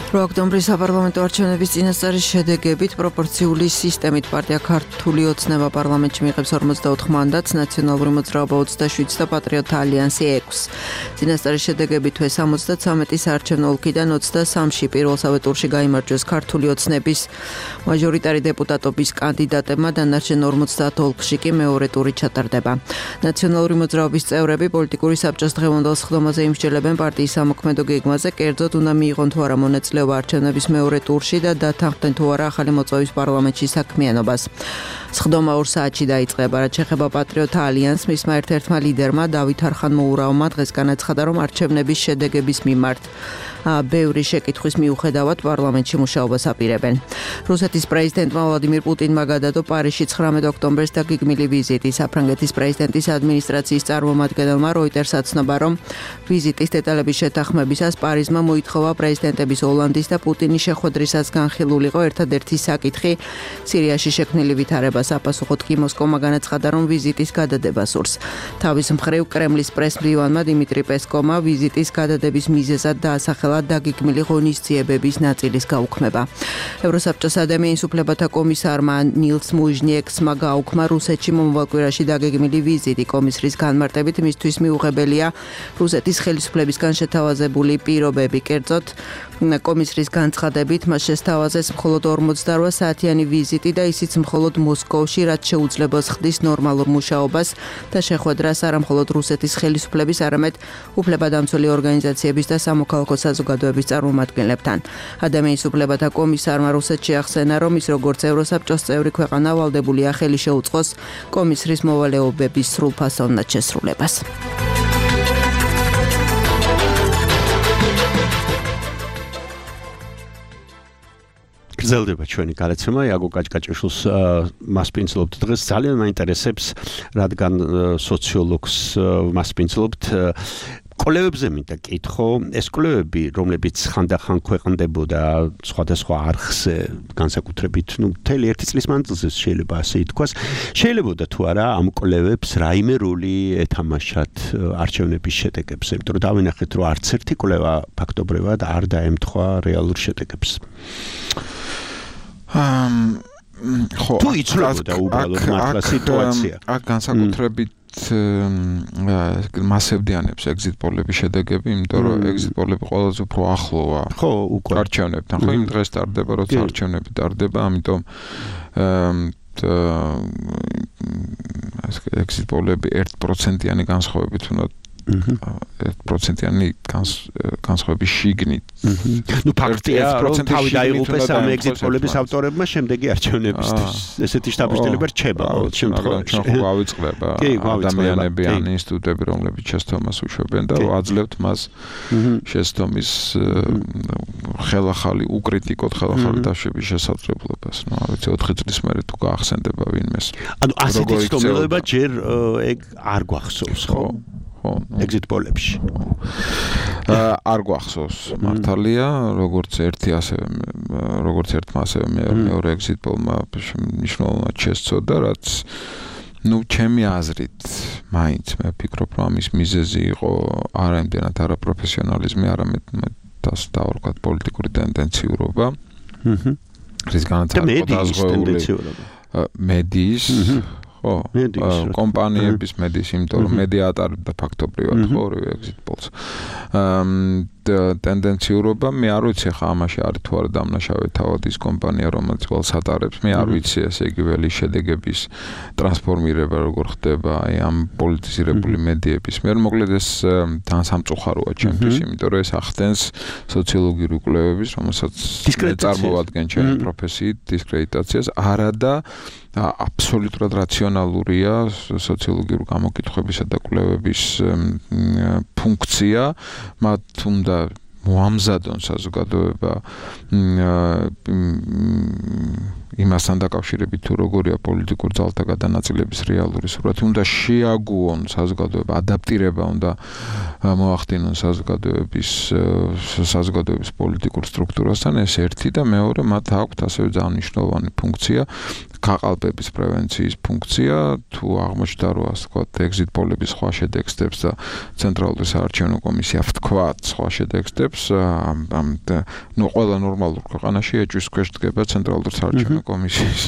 ოქტომბრის საპარლამენტო არჩევნების წინასწარის შედეგებით პროპორციული სისტემით პარტია ქართული ოცნება პარლამენტში მიიღებს 44 მანდატს, ნაციონალური მოძრაობა 27 და პატრიოტთა ალიანსი 6. წინასწარის შედეგებით 73 საარჩევნო ოლქიდან 23-ში პირველსავე ტურში გაიმარჯვეს ქართული ოცნების მაჟორიტარი დეპუტატობის კანდიდატებმა, დანარჩენ 50 ოლქში კი მეორე ტური ჩატარდება. ნაციონალური მოძრაობის წევრები პოლიტიკური საბჭოს დღევანდელ სხდომაზე იმსჯელებენ პარტიის სამოქმედო გეგმაზე, კერძოდ უნდა მიიღონ თუ არა მონაწილეობა არჩევნების მეორე ტურში და დათანხმდნენ თუ არა ახალი მოწვევის პარლამენტში საქმიანობას. სხდომა 2 საათში დაიწყება, რაც შეეხება პატრიოტთა ალიანსს, მისმა ერთ-ერთმა ლიდერმა დავით არხანმოურავმა დღეს განაცხადა, რომ არჩევნების შედეგების მიმართ ბევრი შეკითხვის მიუხედავად პარლამენტში მუშაობას აპირებენ. რუსეთის პრეზიდენტმა ვლადიმირ პუტინმა გადადო პარიზში 19 ოქტომბერს დაგეგმილი ვიზიტი. საფრანგეთის პრეზიდენტის ადმინისტრაციის წარმომადგენელმა როიტერს აცნობა, რომ ვიზიტის დეტალების შეთანხმებისას პარიზმა მოითხოვა პრეზიდენტების ოლანდის ოლანდის და პუტინის შეხვედრისას განხილულიყო ერთადერთი საკითხი სირიაში შექმნილი ვითარებას აპასუხოთ კი მოსკოვმა განაცხადა რომ ვიზიტის გადადება სურს. თავის მხრივ კრემლის პრესმდივანმა დიმიტრი პესკოვმა ვიზიტის გადადების მიზეზად დაასახელა დაგეგმილი ღონისძიებების ნაწილის გაუქმება. ევროსაბჭოს ადამიანის უფლებათა კომისარმა ნილს მუჟნიექსმა გაუქმა რუსეთში მომავალ კვირაში დაგეგმილი ვიზიტი კომისრის განმარტებით მისთვის მიუღებელია რუსეთის ხელისუფლებისგან შეთავაზებული პირობები. კერძოდ კომისრის განცხადებით მას შესთავაზეს მხოლოდ 48 საათიანი ვიზიტი და ისიც მხოლოდ მოსკოვში, რაც შეუძლებას ხდის ნორმალურ მუშაობას და შეხვედრას არა მხოლოდ რუსეთის ხელისუფლების, არამედ უფლებადამცველი ორგანიზაციების და სამოქალაქო საზოგადოების წარმომადგენლებთან. ადამიანის უფლებათა კომისარმა რუსეთში ახსენა, რომ ის როგორც ევროსაბჭოს წევრი ქვეყანა ვალდებულია ხელი შეუწყოს კომისრის მოვალეობების სრულფასოვნად შესრულებას. გრძელდება ჩვენი გადაცემა იაგო კაჭკაჭიშვილს მასპინძლობთ დღეს ძალიან მაინტერესებს რადგან სოციოლოგს მასპინძლობთ კოლევებზე მინდა კითხო ეს კოლევები რომლებიც ხანდახან ქვეყნდებოდა სხვადასხვა არხზე განსაკუთრებით მთელი ერთი წლის მანძილზე შეიძლება ასე ითქვას შეიძლებოდა თუ არა ამ კოლევებს რაიმე როლი ეთამაშათ არჩევნების შედეგებზე იმიტომ რომ დავინახეთ რომ არც ერთი კოლევა ფაქტობრივად არ დაემთხვა რეალურ შედეგებს ხო თუ იცვლებოდა უბრალოდ მართლა სიტუაცია აქ განსაკუთრებით მასებდიანებს ეგზიტ პოლების შედეგები, იმიტომ რომ ეგზიტ პოლები ყველაზე უფრო ახლოა ხო უკვე არჩევნებთან, ხო იმ დღეს ტარდება, როცა არჩევნები ტარდება, ამიტომ ეგზიტ პოლები 1%-იანი განსხვავებით უნდა 1%-იანი განსხვავების შიგნით. ნუ ფაქტია, რომ თავი დაიღუპეს ამ ეგზიტ პოლების ავტორებმა შემდეგი არჩევნებისთვის. ესეთი შთაბეჭდილება რჩება ყოველ შემთხვევაში. ჩვენ ხო გავიწყდება ადამიანები ან ინსტიტუტები, რომლებიც შეცდომას უშვებენ და აძლევთ მას შეცდომის ხელახალი უკრიტიკოთ ხელახალი დაშვების შესაძლებლობას. ნუ არ ვიცი 4 წლის მერე თუ გაახსენდება ვინმეს. ანუ ასეთი ცდომილება ჯერ ეგ არ გვახსოვს, ხო? ხო, ეგზიტ პოლებში. არ გვახსოვს მართალია, როგორც ერთი ასევე როგორც ერთმა ასევე მეორე ეგზიტ პოლმა მნიშვნელოვნად შესწოდა, რაც ნუ ჩემი აზრით მაინც მე ვფიქრობ, რომ ამის მიზეზი იყო არა იმდენად არაპროფესიონალიზმი, არამედ დავარქვათ პოლიტიკური ტენდენციურობა. რის განაცხადდა დაზღვეული მედიის ხო, კომპანიების მედიის, იმიტომ რომ მედია ატარებდა ფაქტობრივად ხო ორივე ეგზიტ პოლს. ტენდენციურობა მე არ ვიცი ხა ამაში არის თუ არა დამნაშავე თავად ის კომპანია რომელიც ყველს ატარებს მე არ ვიცი ესე იგი ველი შედეგების ტრანსფორმირება როგორ ხდება აი ამ პოლიტიზირებული მედიების მე მოკლედ ეს თან სამწუხაროა ჩემთვის იმიტომ რომ ეს ახდენს სოციოლოგიური კვლევების რომელსაც წარმოვადგენ ჩემი პროფესიით დისკრედიტაციას არადა აბსოლუტურად რაციონალურია სოციოლოგიური გამოკითხვებისა და კვლევების ფუნქცია მათ უნდა მოამზადონ საზოგადოება იმასთან დაკავშირებით თუ როგორია პოლიტიკურ ძალთა გადანაწილების რეალური სურათი უნდა შეაგუონ საზოგადოება ადაპტირება უნდა მოახდინონ საზოგადოების პოლიტიკურ სტრუქტურასთან ეს ერთი და მეორე მათ აქვთ ასევე ძალიან მნიშვნელოვანი ფუნქცია გაყალბების პრევენციის ფუნქცია თუ აღმოჩნდა რომ ასე ვთქვათ ეგზიტ პოლების სხვა შედეგებს და ცენტრალური საარჩევნო კომისია ვთქვათ სხვა შედეგებს ნუ ყველა ნორმალურ ქვეყანაში ეჭვის ქვეშ დგება ცენტრალური საარჩევნო კომისიის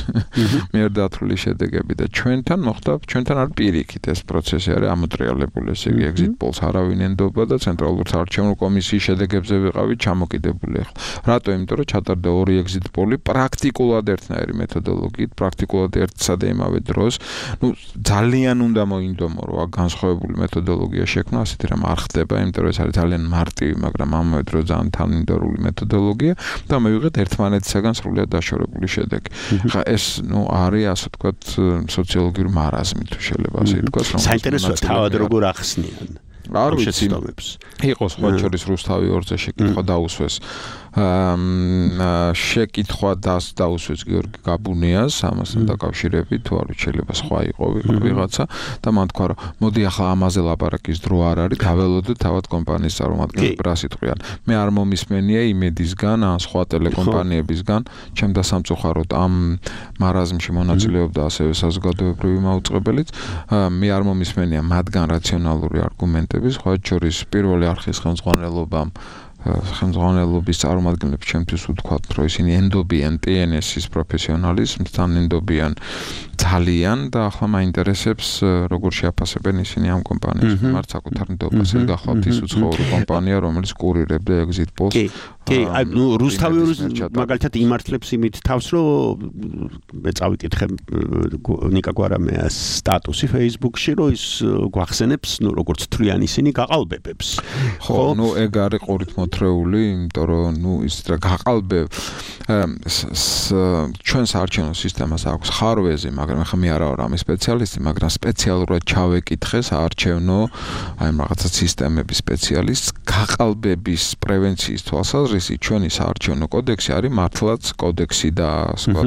მიერ დათვლილი შედეგები და ჩვენთან მოხდა ჩვენთან არის პირიქით ეს პროცესი არის ამოტრიალებული ესე იგი ეგზიტ პოლს არავინ ენდობა და ცენტრალური საარჩევნო კომისიის შედეგებზე ვიყავით ჩამოკიდებული ახლა რატო იმიტომ რომ ჩატარდა ორი ეგზიტ პოლი პრაქტიკულად ერთნაირი მეთოდოლოგიით პრაქტიკულად ერთსა და იმავე დროს ნუ ძალიან უნდა მოინდომო რომ განსხვავებული მეთოდოლოგია შექმნა ასეთი რამ არ ხდება იმიტომ რომ ეს არის ძალიან მარტივი მაგრამ ამავე დროს ძალიან თანმიმდევრული მეთოდოლოგია და მივიღეთ ერთმანეთისაგან სრულიად დაშორებული შედეგი ხა ეს ნუ არის ასე ვთქვათ სოციოლოგიური მარაზმი თუ შეიძლება ასე ითქვას რომ საინტერესოა თავად როგორ ახსნიან არ ვიცი იყო სხვა შორის რუსთავი 2-ზე შეკითხვა დაუსვეს შეკითხვა დაუსვეს გიორგი გაბუნიას ამასთან დაკავშირებით, თუ არ შეიძლება სხვა იყო ვიღაცა და მან თქვა, რომ მოდი ახლა ამაზე ლაპარაკის დრო არ არის, დაველოდოთ თავად კომპანიის წარმომადგენლები რა სიტყვიან. მე არ მომისმენია იმედისგან, ან სხვა ტელეკომპანიებისგან, ჩემ დასამწუხაროდ ამ მარაზმში მონაწილეობდა ასევე საზოგადოებრივი მაუწყებელიც, მე არ მომისმენია მათგან რაციონალური არგუმენტები, სხვა შორის პირველი არხის ხელმძღვანელობის წარმომადგენლებს ჩემთვის ვთქვათ, რომ ისინი ენდობიან TNS-ის პროფესიონალიზმთან, ენდობიან ძალიან და ახლა მაინტერესებს როგორ შეაფასებენ ისინი ამ კომპანიის მიმართ საკუთარ ნდობას. ეს გახლავთ ის უცხოური კომპანია, რომელიც კურირებდა exit polls. კი, რუსთავი მაგალითად იმართლებს იმით თავს, რომ მე წავიკითხე ნიკა გვარამეას სტატუსი Facebook-ში, რომ ის გვახსენებს, როგორც თვლიან ისინი გაყალბებებს. ხო, ეგ არის ყურით მოთრეული, იმიტომ რომ ის რა გაყალბებ ჩვენ საარჩევნო სისტემას აქვს ხარვეზი, მაგრამ ახლა მე არა ვარ ამის სპეციალისტი, მაგრამ სპეციალურად ჩავეკითხე საარჩევნო აი რაღაცა სისტემების სპეციალისტს, გაყალბების პრევენციის თვალსაზრისით ჩვენი საარჩევნო კოდექსი არის მართლაც კოდექსი და სხვა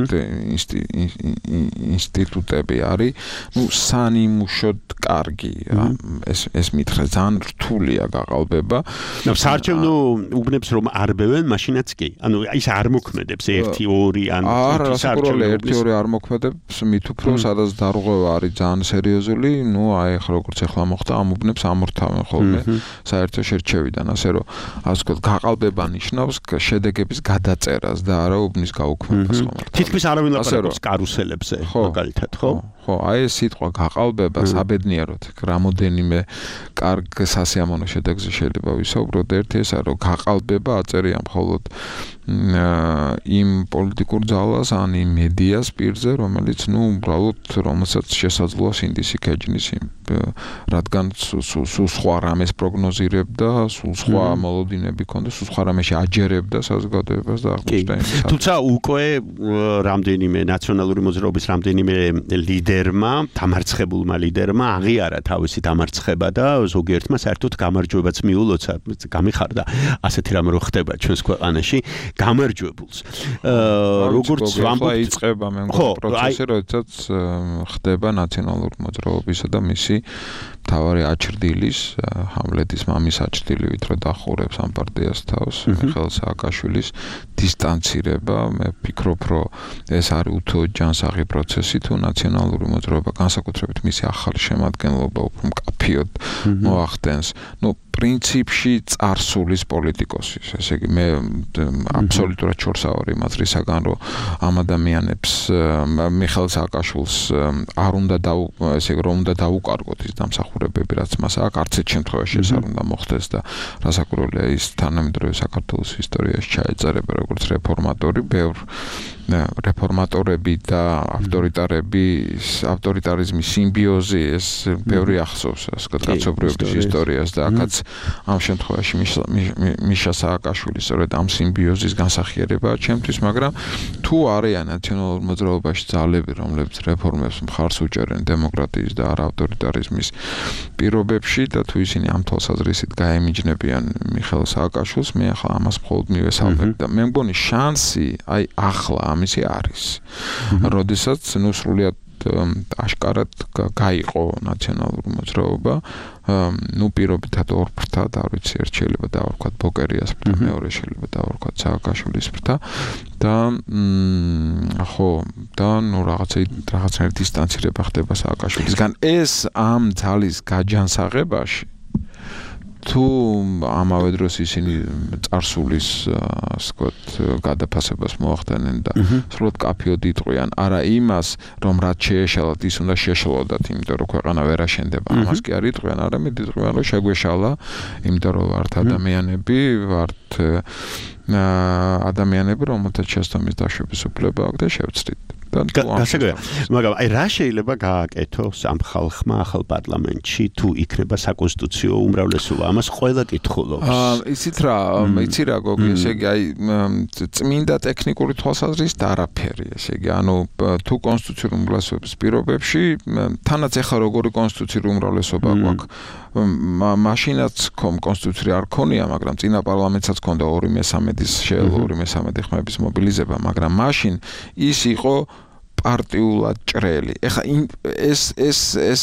ინსტიტუტები არის, სანიმუშოდ კარგია. ეს მითხრა ძალიან რთულია გაყალბება. საარჩევნო უბნებს რომ არბევენ, მაშინაც კი. ანუ ის არ მოქმედებს 1-2 ან 5 საარჩევნო 1-2 არ მოქმედებს, მით უფრო სადაც დარღვევა არის ძალიან სერიოზული, აი ახლა როგორც ახლა მოხდა, ამ უბნებს ამორთავენ ხოლმე საერთო შერჩევიდან, ასე რომ ასე ვთქვათ, გაყალბება ნიშნავს შედეგების გადაწერას და არა უბნის გაუქმებას ხოლმე. თითქმის არავინ ლაპარაკობს კარუსელებზე, მაგალითად, ხო? ხო, აი ეს სიტყვა გაყალბება საბედნიეროდ რამოდენიმე კარგ სასიამოვნო შედეგზე შეიძლება ვისაუბროთ. ერთი ესაა, რომ გაყალბება აწერია მხოლოდ იმ პოლიტიკურ ძალას ან იმ მედიას პირზე, რომელიც უბრალოდ რომელსაც შესაძლოა სინდისი ქეჯნის, რადგან სულ სხვა რამეს პროგნოზირებდა, სულ სხვა მოლოდინები ჰქონდა, სულ სხვა რამეში აჯერებდა საზოგადოებას და აღმოჩნდა იმის. თუმცა უკვე რამდენიმე ნაციონალური მოძრაობის რამდენიმე ლიდერმა, დამარცხებულმა ლიდერმა აღიარა თავისი დამარცხება და ზოგიერთმა საერთოდ გამარჯვებაც მიულოცა, გამიხარდა ასეთი რამ რო ხდება ჩვენს ქვეყანაში. გამარჯვებულს. როგორც ვამბობთ, იწყება მე მგონი პროცესი, როდესაც ხდება ნაციონალური მოძრაობისა და მისი მთავარი აჩრდილის, ჰამლეთის მამის აჩრდილი, ვით რომ დახურებს ამ პარტიას თავს, მიხეილ სააკაშვილის დისტანცირება. მე ვფიქრობ, რომ ეს არის უთუოდ ჯანსაღი პროცესი, თუ ნაციონალური მოძრაობა განსაკუთრებით მისი ახალი შემადგენლობა უფრო მკაფიოდ მოახდენს. პრინციპში წარსულის პოლიტიკოსის. ესე იგი მე აბსოლუტურად შორს ავარ იმას რისაგან, რომ ამ ადამიანებს მიხეილ სააკაშვილს არ უნდა დაუკარგოთ ის დამსახურებები, რაც მას აქვს, არც ერთ შემთხვევაში ეს არ უნდა მოხდეს და რასაკვირველია ის თანამედროვე საქართველოს ისტორიაში ჩაეწერება როგორც რეფორმატორი, ბევრ რეფორმატორები და ავტორიტარიზმის სიმბიოზი ეს ბევრი ახსოვს, ასე ვთქვათ, კაცობრიობის ისტორიას და აქაც ამ შემთხვევაში მიშა სააკაშვილი სწორედ ამ სიმბიოზის განსახიერებაა ჩემთვის, მაგრამ თუ არიან ნაციონალურ მოძრაობაში ძალები, რომლებიც რეფორმებს მხარს უჭერენ დემოკრატიის და არა ავტორიტარიზმის პირობებში და თუ ისინი ამ თვალსაზრისით გაემიჯნებიან მიხეილ სააკაშვილს, მე ახლა ამას მხოლოდ მივესალმებ და მე მგონი შანსი აი ახლა ამისი არის. როდესაც სრულიად აშკარად გაიყო ნაციონალური მოძრაობა, პირობითად ორ ფრთად, არ ვიცი, ერთ შეიძლება დავარქვათ ბოკერიას ფრთა, მეორე შეიძლება დავარქვათ სააკაშვილის ფრთა და რაღაცა დისტანცირება ხდება სააკაშვილისგან. ეს ამ ძალის გაჯანსაღებაში თუ ამავე დროს ისინი წარსულის გადაფასებას მოახდენენ და სრულად კაფიოდ იტყვიან, არა იმას, რომ რაც შეეშალათ, ის უნდა შეშლოდათ, იმიტომ რომ ქვეყანა ვერ აშენდება. ამას კი არ იტყვიან, არამედ იტყვიან, რომ შეგვეშალა, იმიტომ რომ ვართ ადამიანები, ადამიანები, რომელთაც შესწავლის დაშვების უფლება აქვს და შევცდით. მაგრამ აი რა შეიძლება გააკეთოს ამ ხალხმა ახალ პარლამენტში თუ იქნება საკონსტიტუციო უმრავლესობა ამას ყველა კითხულობს იცით რა გოგი ესე იგი აი წმინდა ტექნიკური თვალსაზრისით არაფერი ესე იგი ანუ თუ კონსტიტუციური უმრავლესობის პირობებში თანაც ეხლა როგორი კონსტიტუციური უმრავლესობა გვაქვს მაშინაც კონსტიტუციური არ ქონია მაგრამ წინა პარლამენტსაც ქონდა 2/3 შეეძლო 2/3 ხმების მობილიზება მაგრამ მაშინ ის იყო პარტიულად ჭრელი. ეხლა ეს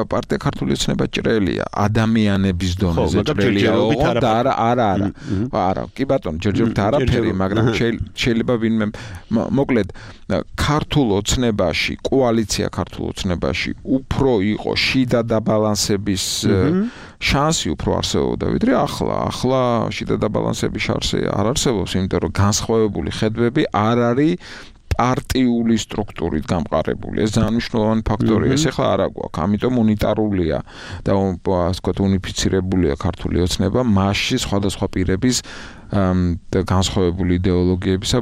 პარტია ქართული ოცნება ჭრელია, ადამიანების დონეზე ჭრელია. არა, კი ბატონო, ჯერჯერობით არაფერი, მაგრამ შეიძლება ვინმე მოკლედ ქართულ ოცნებაში, კოალიცია ქართულ ოცნებაში უფრო იყო შიდა დაბალანსების შანსი უფრო არსებობდა, ვიდრე ახლა შიდა დაბალანსების შანსი არ არსებობს, იმიტომ რომ განსხვავებული ხედვები არ არის პარტიული სტრუქტურით გამყარებული. ეს ძალიან მნიშვნელოვანი ფაქტორია. ეს ახლა არა გვაქვს, ამიტომ უნიტარულია და ასე ვთქვათ, უნიფიცირებულია ქართული ოცნება მასში სხვადასხვა პირების განსხვავებული იდეოლოგიებისა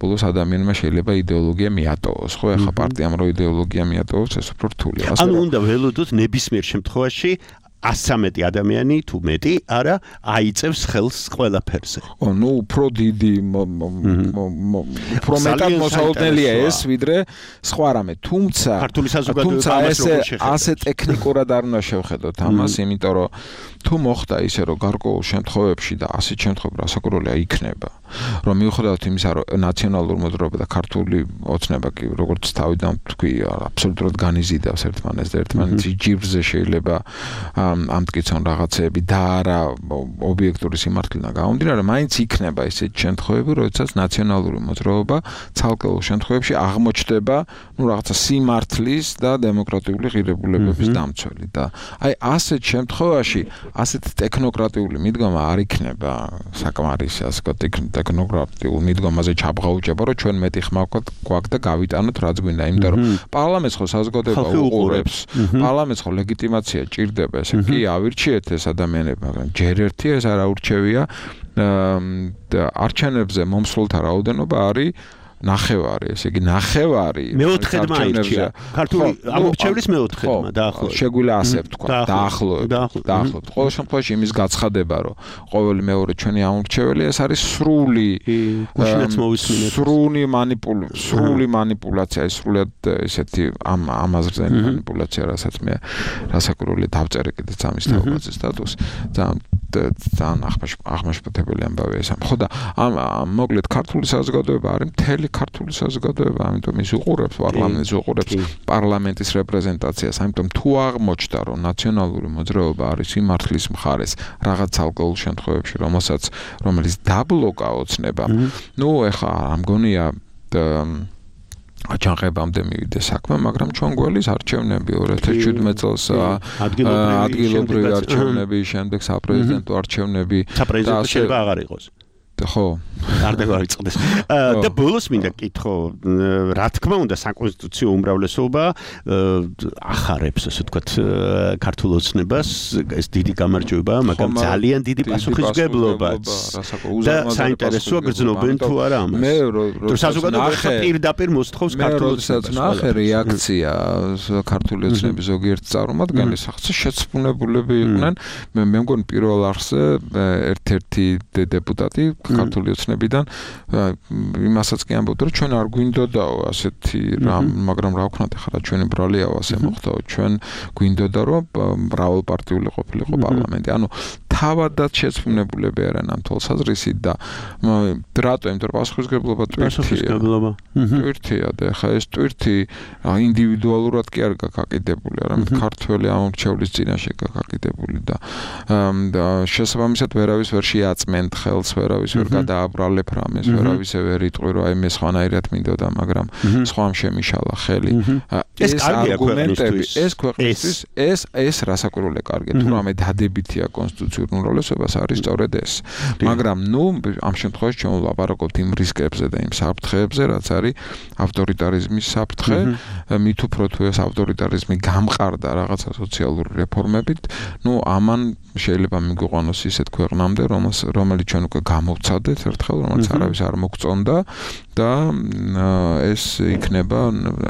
ბოლოს ადამიანმა შეიძლება იდეოლოგია მიატოვოს. ხო, ახლა პარტიამ რო იდეოლოგია მიატოვოს, ეს უფრო რთულია. ანუ უნდა ველოდოთ ნებისმიერ შემთხვევაში 113 ადამიანი თუ მეტი არა აიწევს ხელს ყველაფერზე. ნუ უფრო დიდი უფრო მეტად მოსაუბრელია ეს ვიდრე სხვა რამე. თუმცა ასე ტექნიკურად არ უნდა შევხედოთ ამას, იმიტომ რომ თუ მოხდა ისე რომ გარკვეულ შემთხვევებში და ასეთ შემთხვევებში რასაკვირველია იქნება, რომ მიუხედავად იმისა, რომ ნაციონალური მოძრაობა და ქართული ოცნება კი როგორც თავიდან თქვი, აბსოლუტურად განიზიდავს ერთმანეთს და ერთმანეთის ჯიბზე შეიძლება ამტკიცონ რაღაცეები და არა ობიექტური სიმართლიდან გამომდინარე, მაინც იქნება ესეთი შემთხვევები, როდესაც ნაციონალური მოძრაობა ცალკეულ შემთხვევებში აღმოჩნდება, რაღაცა სიმართლის და დემოკრატიული ღირებულებების დამცველი და აი ასეთ შემთხვევაში ასეთ ტექნოკრატიული მიდგომა არ იქნება საკმარისი, ასე ვთქვათ, ტექნოკრატიულ მიდგომაზე ჩაბღაუჭება, რომ ჩვენ მეტი ხმა გვაქვს და გავიტანოთ რაც გვინდა, იმიტომ რომ პარლამენტს ხო საზოგადოება უყურებს, პარლამენტს ხო ლეგიტიმაცია ჭირდება, ესე კი ავირჩიეთ ეს ადამიანები, მაგრამ ჯერ ერთი ეს არ აურჩევია არჩევნებზე მომსვლელთა რაოდენობა არის ნახევარი, ესე იგი ნახევარი მეოთხედმა აირჩია. ქართული ამორჩევლის მეოთხედმა დაახლოებით. შეგვიძლია ასე ვთქვა, დაახლოებით. ყოველ შემთხვევაში იმის გაცხადება, რომ ყოველი მეორე ჩვენი ამორჩეველი ეს არის სრული მანიპულაცია, სრულად ესეთი ამაზრზე მანიპულაცია, რასაც მე რასაკვირველია დავწერე კიდეც ამის თაობაზე სტატუსი. ძალიან აღმაშფოთებელი ამბავია ეს. ხო და მოკლედ ქართული საზოგადოება არის მთელი ქართული საზოგადოება, ამიტომ ის უყურებს პარლამენტს, უყურებს პარლამენტის რეპრეზენტაციას, ამიტომ თუ აღმოჩნდა, რომ ნაციონალური მოძრაობა არის სიმართლის მხარეს რაღაც ცალკეულ შემთხვევებში, რომელიც დაბლოკა ოცნება, ნუ ეხლა არ მგონია აჩაღებამდე მივიდე საქმე, მაგრამ ჩვენ გველის არჩევნები 2017 წელს ადგილობრივი არჩევნები, შემდეგ საპრეზიდენტო არჩევნები და შეიძლება აღარ იყოს. ხო, არ დავიწყდეს. და ბოლოს მინდა კითხო, რა თქმა უნდა, საკონსტიტუციო უმრავლესობა ახარებს, ასე ვთქვათ, ქართულ ოცნებას, ეს დიდი გამარჯვება, მაგრამ ძალიან დიდი პასუხისმგებლობაც. და საინტერესოა გრძნობენ თუ არა ამას. მე რომ საზოგადოება პირდაპირ მოსთხოვს ქართულ ოცნებას. ნახე რეაქცია ქართული ოცნების ზოგიერთ წარმომადგენლის შეცდომებულები იყვნენ. მე მგონი პირველ არხზე ერთ-ერთი დეპუტატი ქართული ოცნებიდან იმასაც კი ამბობდა, რომ ჩვენ არ გვინდოდაო ასეთი რამ, მაგრამ რა ვქნათ ახლა ჩვენი ბრალიაო ასე მოხდაო, ჩვენ გვინდოდა რომ მრავალპარტიული ყოფილიყო პარლამენტი. ანუ თავადაც შეცდომებულები არიან ამ თვალსაზრისით და რატო? იმიტომ რომ პასუხისმგებლობა ტვირთია და ახლა ეს ტვირთი ინდივიდუალურად კი არ გაკიდებული, არამედ ქართველი ამორჩევლის წინაშე გაკიდებული და შესაბამისად ვერავის ვერ შეაწმენთ ხელს, ვერავის ვერ გადააბრალებ რამეს, ვერავის ვერ იტყვი, რომ აი მე სხვანაირად მინდოდა, მაგრამ სხვამ შემიშალა ხელი. ეს არგუმენტები, ეს ქვეყნისთვის, ეს რასაკვირველია კარგია, თუ რამე დადებითია კონსტიტუციურ უმრავლესობას არის სწორედ ეს. მაგრამ ამ შემთხვევაში ჩვენ ვლაპარაკობთ იმ რისკებზე და იმ საფრთხეებზე, რაც არის ავტორიტარიზმის საფრთხე, მით უფრო თუ ეს ავტორიტარიზმი გამყარდა რაღაცა სოციალური რეფორმებით, ამან შეიძლება მიგვიყვანოს ისეთ ქვეყნამდე, რომელიც ჩვენ უკვე გამოვცადეთ ერთხელ, რომელიც არავის არ მოგწონდა და ეს იქნება,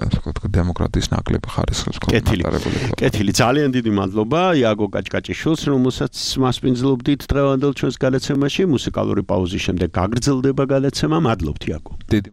ასე ვთქვათ, დემოკრატიის ნაკლები ხარისხის მატარებული. კეთილი, ძალიან დიდი მადლობა იაგო კაჭკაჭიშვილს, რომელსაც მასპინძლობდით დღევანდელ ჩვენს გადაცემაში. მუსიკალური პაუზის შემდეგ გაგრძელდება გადაცემა. მადლობთ იაგო. დიდი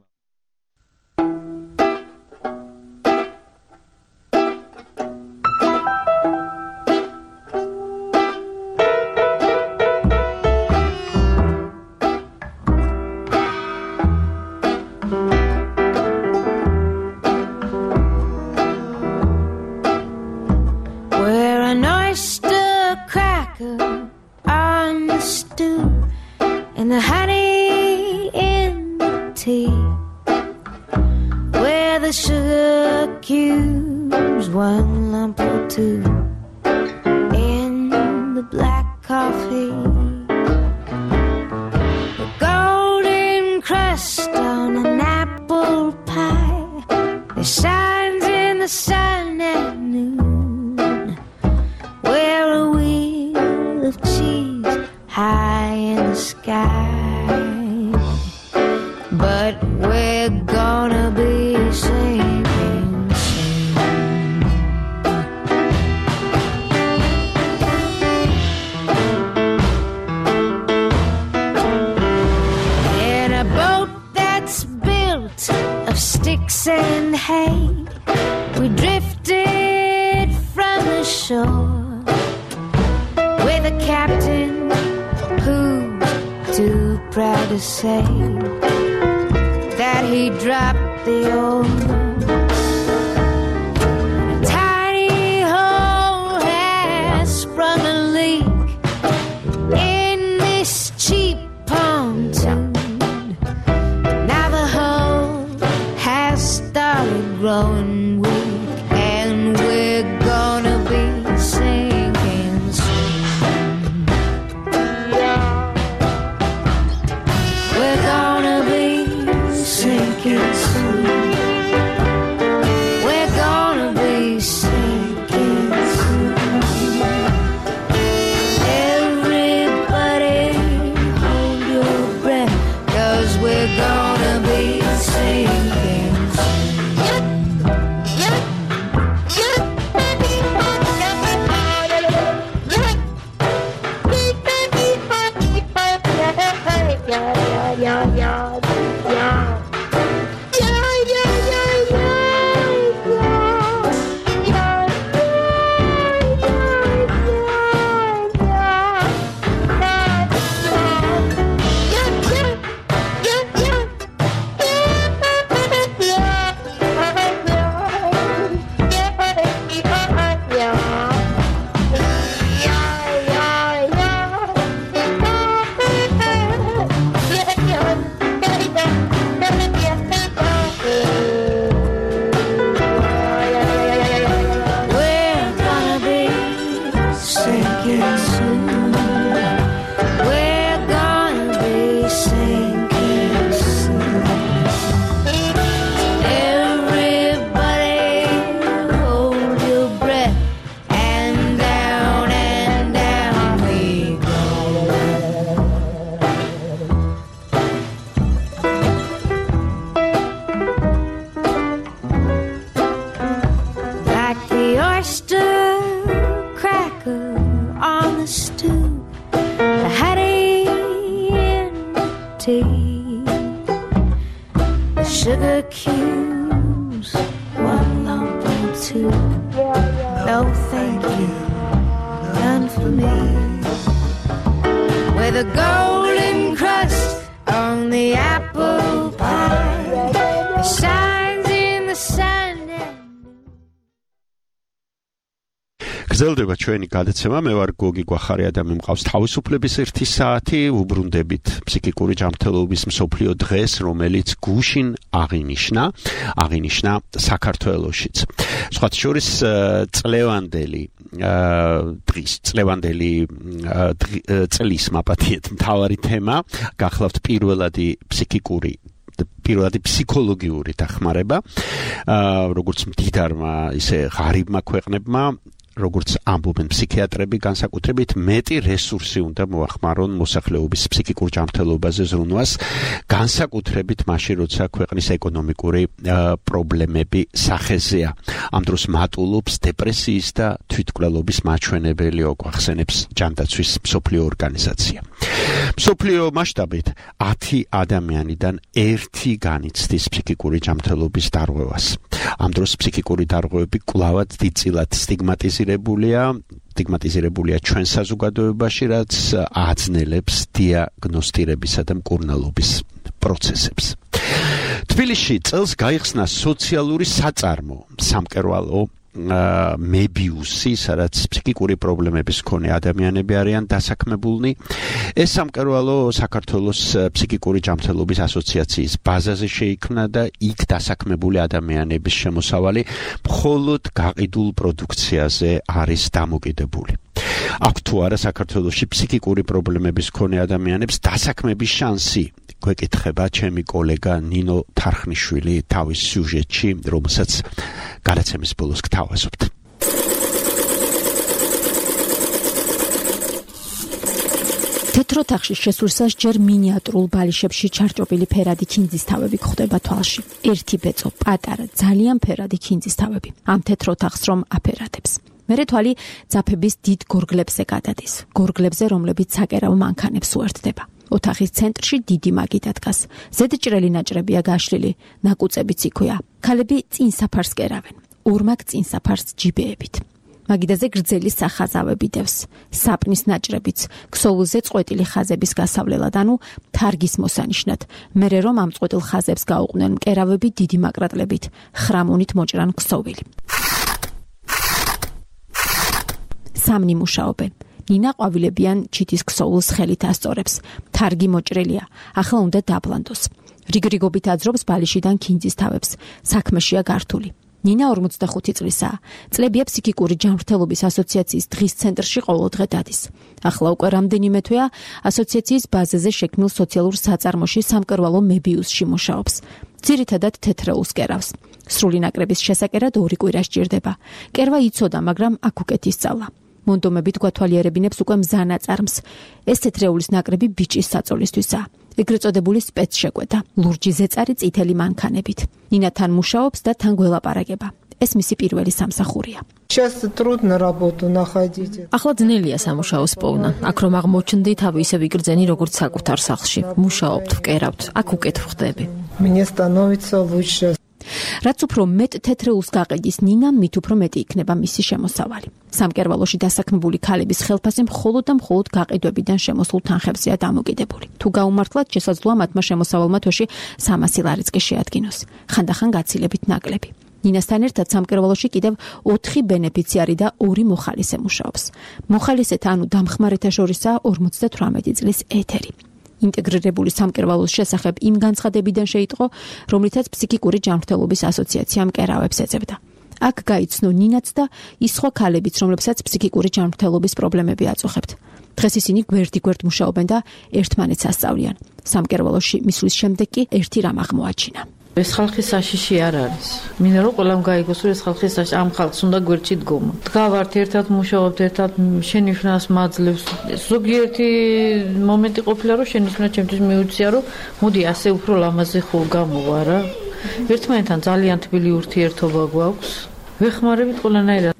გრძელდება ჩვენი გადაცემა. მე ვარ გოგი გვახარია და მიმყავს თავისუფლების 1 საათი. უბრუნდებით ფსიქიკური ჯანმრთელობის მსოფლიო დღეს, რომელიც გუშინ აღინიშნა საქართველოშიც. სხვათა შორის წლევანდელი დღის წლევანდელი წლის მაპატიეთ მთავარი თემა გახლავთ პირველადი ფსიქოლოგიური დახმარება როგორც მდიდარმა ისე ღარიბმა ქვეყნებმა როგორც ამბობენ ფსიქიატრები განსაკუთრებით მეტი რესურსი უნდა მოახმარონ მოსახლეობის ფსიქიკურ ჯანმრთელობაზე ზრუნვას განსაკუთრებით მაშინ როცა ქვეყნის ეკონომიკური პრობლემები სახეზეა ამ დროს მატულობს დეპრესიის და თვითმკვლელობის მაჩვენებელი ოგვახსენებს ჯანდაცვის მსოფლიო ორგანიზაცია მსოფლიო მასშტაბით 10 ადამიანიდან 1 განიცდის ფსიქიკური ჯანმრთელობის დარღვევას ამ დროს ფსიქიკური დარღვევები კვლავად დიდწილად სტიგმატიზირებულია ჩვენ საზოგადოებაში, რაც აძნელებს დიაგნოსტირებისა და მკურნალობის პროცესებს. თბილისში წელს გაიხსნა სოციალური საწარმო სამკერვალო მებიუსი, სადაც ფსიქიკური პრობლემების მქონე ადამიანები არიან დასაქმებულნი. ეს სამკერვალო საქართველოს ფსიქიკური ჯანმრთელობის ასოციაციის ბაზაზე შეიქმნა და იქ დასაქმებული ადამიანების შემოსავალი მხოლოდ გაყიდულ პროდუქციაზე არის დამოკიდებული. აქ თუ არა საქართველოში ფსიქიკური პრობლემების მქონე ადამიანებს დასაქმების შანსი გვეკითხება ჩემი კოლეგა ნინო თარხნიშვილი თავის სიუჟეტში, რომელსაც გადაცემის ბოლოს გთავაზობთ. თეთროთახში შესულსაც ჯერ მინიატურულ ბალიშებში ჩარჭოპილი ფერადი ქინძის თავები გვხვდება თვალში. ერთი ბეწო, პატარა, ძალიან ფერადი ქინძის თავები. ამ თეთროთახს რომ აფერადებს. მერე თვალი ძაფების დიდ გორგლებზე გადადის. გორგლებზე, რომლებიც საკერავ მანქანებს უერთდება. ოთახის ცენტრში დიდი მაგიდა დგას. ზედჭრელი ნაჭრებია გაშლილი, ნაკუწებიც იქვეა. ქალები წინ საფარს კერავენ. ორმაგ წინ საფარს ჯიბეებით. მაგიდაზე გრძელი სახაზავები დევს. საპნის ნაჭრებიც, ქსოვილზე წყვეტილი ხაზების გასავლელად, ანუ თარგის მოსანიშნად. მერე რომ ამ წყვეტილ ხაზებს გაუყვნენ მკერავები დიდი მაკრატლებით, ხრამონით მოჭრან ქსოვილი. სამნი მუშაობენ. ნინა ყვავილებიან ჩიტის ქსოვილს ხელით ასწორებს. თარგი მოჭრელია, ახლა უნდა დაბლანდოს. რიგრიგობით აძრობს ბალიშიდან ქინძის თავებს. საქმეშია გართული. ნინა 45 წლისაა. წლებია ფსიქიკური ჯანმრთელობის ასოციაციის დღის ცენტრში ყოველ დღე დადის. ახლა უკვე რამდენიმე თვეა ასოციაციის ბაზაზე შექმნილ სოციალურ საწარმოში სამკერვალო მებიუსში მუშაობს. ძირითადად თეთრეულს კერავს. სრული ნაკრების შესაკერად 2 კვირა სჭირდება. კერვა იცოდა, მაგრამ აქ უკეთ ისწავლა. მონდომებით გვათვალიერებინებს უკვე მზანაწარმს. ეს თეთრეულის ნაკრები ბიჭის საწოლისთვისაა. ეგრეთ წოდებული სპეცშეკვეთა, ლურჯი ზეწარი წითელი მანქანებით. ნინა თან მუშაობს და თან გველაპარაკება. ეს მისი პირველი სამსახურია. ახლა ძნელია სამუშაოს პოვნა. აქ რომ აღმოჩნდი, თავი ისევ იგრძენი როგორც საკუთარ სახლში. მუშაობთ, ვკერავთ, აქ უკეთ ვხდები. რაც უფრო მეტ თეთრეულს გაყიდის ნინა, მით უფრო მეტი იქნება მისი შემოსავალი. სამკერვალოში დასაქმებული ქალების ხელფასი მხოლოდ და მხოლოდ გაყიდვებიდან შემოსულ თანხებზეა დამოკიდებული. თუ გაუმართლად, შესაძლოა მათმა შემოსავალმა თვეში 300 ლარიც კი შეადგინოს. ხანდახან გაცილებით ნაკლები. ნინასთან ერთად სამკერვალოში კიდევ 4 ბენეფიციარი და 2 მოხალისე მუშაობს. მოხალისეთა, ანუ დამხმარეთა შორისაა 58 წლის ეთერი. ინტეგრირებული სამკერვალოს შესახებ იმ განცხადებიდან შეიტყო, რომლითაც ფსიქიკური ჯანმრთელობის ასოციაცია მკერავებს ეძებდა. აქ გაიცნო ნინაც და ის სხვა ქალებიც, რომლებსაც ფსიქიკური ჯანმრთელობის პრობლემები აწუხებთ. დღეს ისინი გვერდ-გვერდ მუშაობენ და ერთმანეთს ასწავლიან. სამკერვალოში მისვლის შემდეგ კი ერთი რამ აღმოაჩინა. ეს ხალხი საშიში არ არის. მინდა რომ ყველამ გაიგოს, რომ ეს ხალხი ამ ხალხს უნდა გვერდში დგომა. დგავართ ერთად, მუშაობთ ერთად, შენიშვნას მაძლევს. ზოგიერთი მომენტი ყოფილა, რომ შენიშვნა ჩემთვის მიუწია, რომ მოდი ასე უფრო ლამაზი ხო გამოვა რა. ერთმანეთთან ძალიან თბილი ურთიერთობა გვაქვს. ვეხმარებით ყველანაირად.